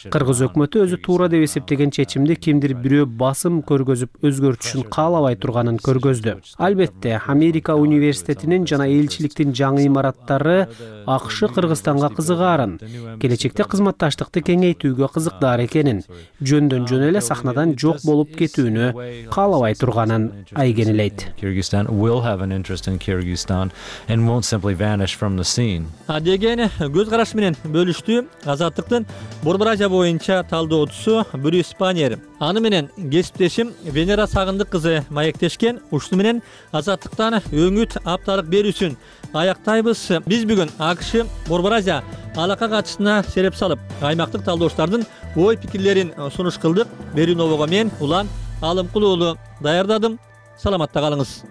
Кыргыз өкмөтү өзү туура деп эсептеген чечимди кимдир бирөө басым көргөзүп өзгөртүшүн каалабай турганын көргөздү. Албетте, Америка университетинин жана элчиликтин жаңы имараттары АКШ Кыргызстанга кызыгаарын, келечекте кызматташтыкты кеңейтүүгө кызыктар экенин, жөндөн жөн эле сахнадан жок болуп кетүүнү каалабай турганын айгенелейт. Kyrgyzstan will have an interest in Kyrgyzstan and won't simply vanish from the scene. Деген көз караш менен бөлүштү Азаттыктын Борбор Азия боюнча талдоочусу Брюс Панер. Аны менен кесиптешим Венера Сагындык кызы маектешкен. Ушуну менен Азаттыктан өңүт апталык берүүсүн аяктайбыз. Биз бүгүн АКШ Борбор Азия алака катышына сереп салып, аймактык талдоочулардын ой пикирлерин сунуш кылдык. Берүүнобого мен Улан Алымкул уулу даярдадым. Саламатта калыңыз.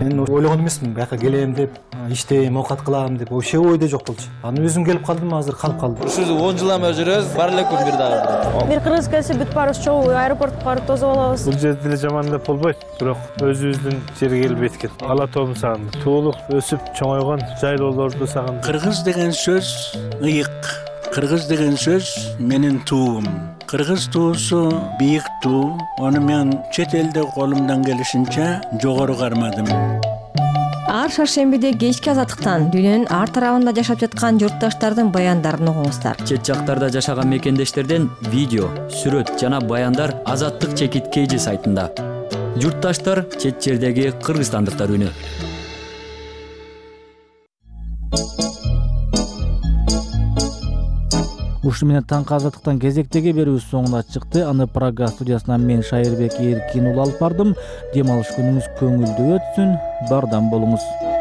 Мен ойлогон эмесмин, бияка келем деп, иштейм, оокат кылам деп, вообще ойдо жок болчу. Аны өзүм келип калдым, азыр калып калдым. Ушул 10 жылдан бери жүрөбүз, бар эле күн бир дагы. Бир кыргыз келсе бүт барыбыз чогуу аэропортко барып тосуп алабыз. Бул жерде деле жаман деп болбойт, бирок өзүбүздүн жерге келип эткен. Ала тоомду сагындым. Туулуп, өсүп, чоңойгон жайлоолорду сагындым. Кыргыз деген сөз ыйык. Кыргыз деген сөз менин туум. Кыргыз туусу бийик туу. Аны мен чет элде колумдан келишинче жогору кармадым. Ар шаршембиде кечки азаттыктан дүйнөнүн ар тарабында жашап жаткан журтташтардын баяндарын угуңуздар. Чет жактарда жашаган мекендештерден видео, сүрөт жана баяндар Азаттык чекит KG сайтында. Журтташтар чет жердеги кыргызстандыктар үнү. Ушуну менен таңкы азаттыктан кезектеги берүүбүз соңуна чыкты. Аны Прага студиясынан мен Шайырбек Эркин уулу алып бардым. Дем алыш күнүңүз көңүлдүү өтсүн. Бардам болуңуз.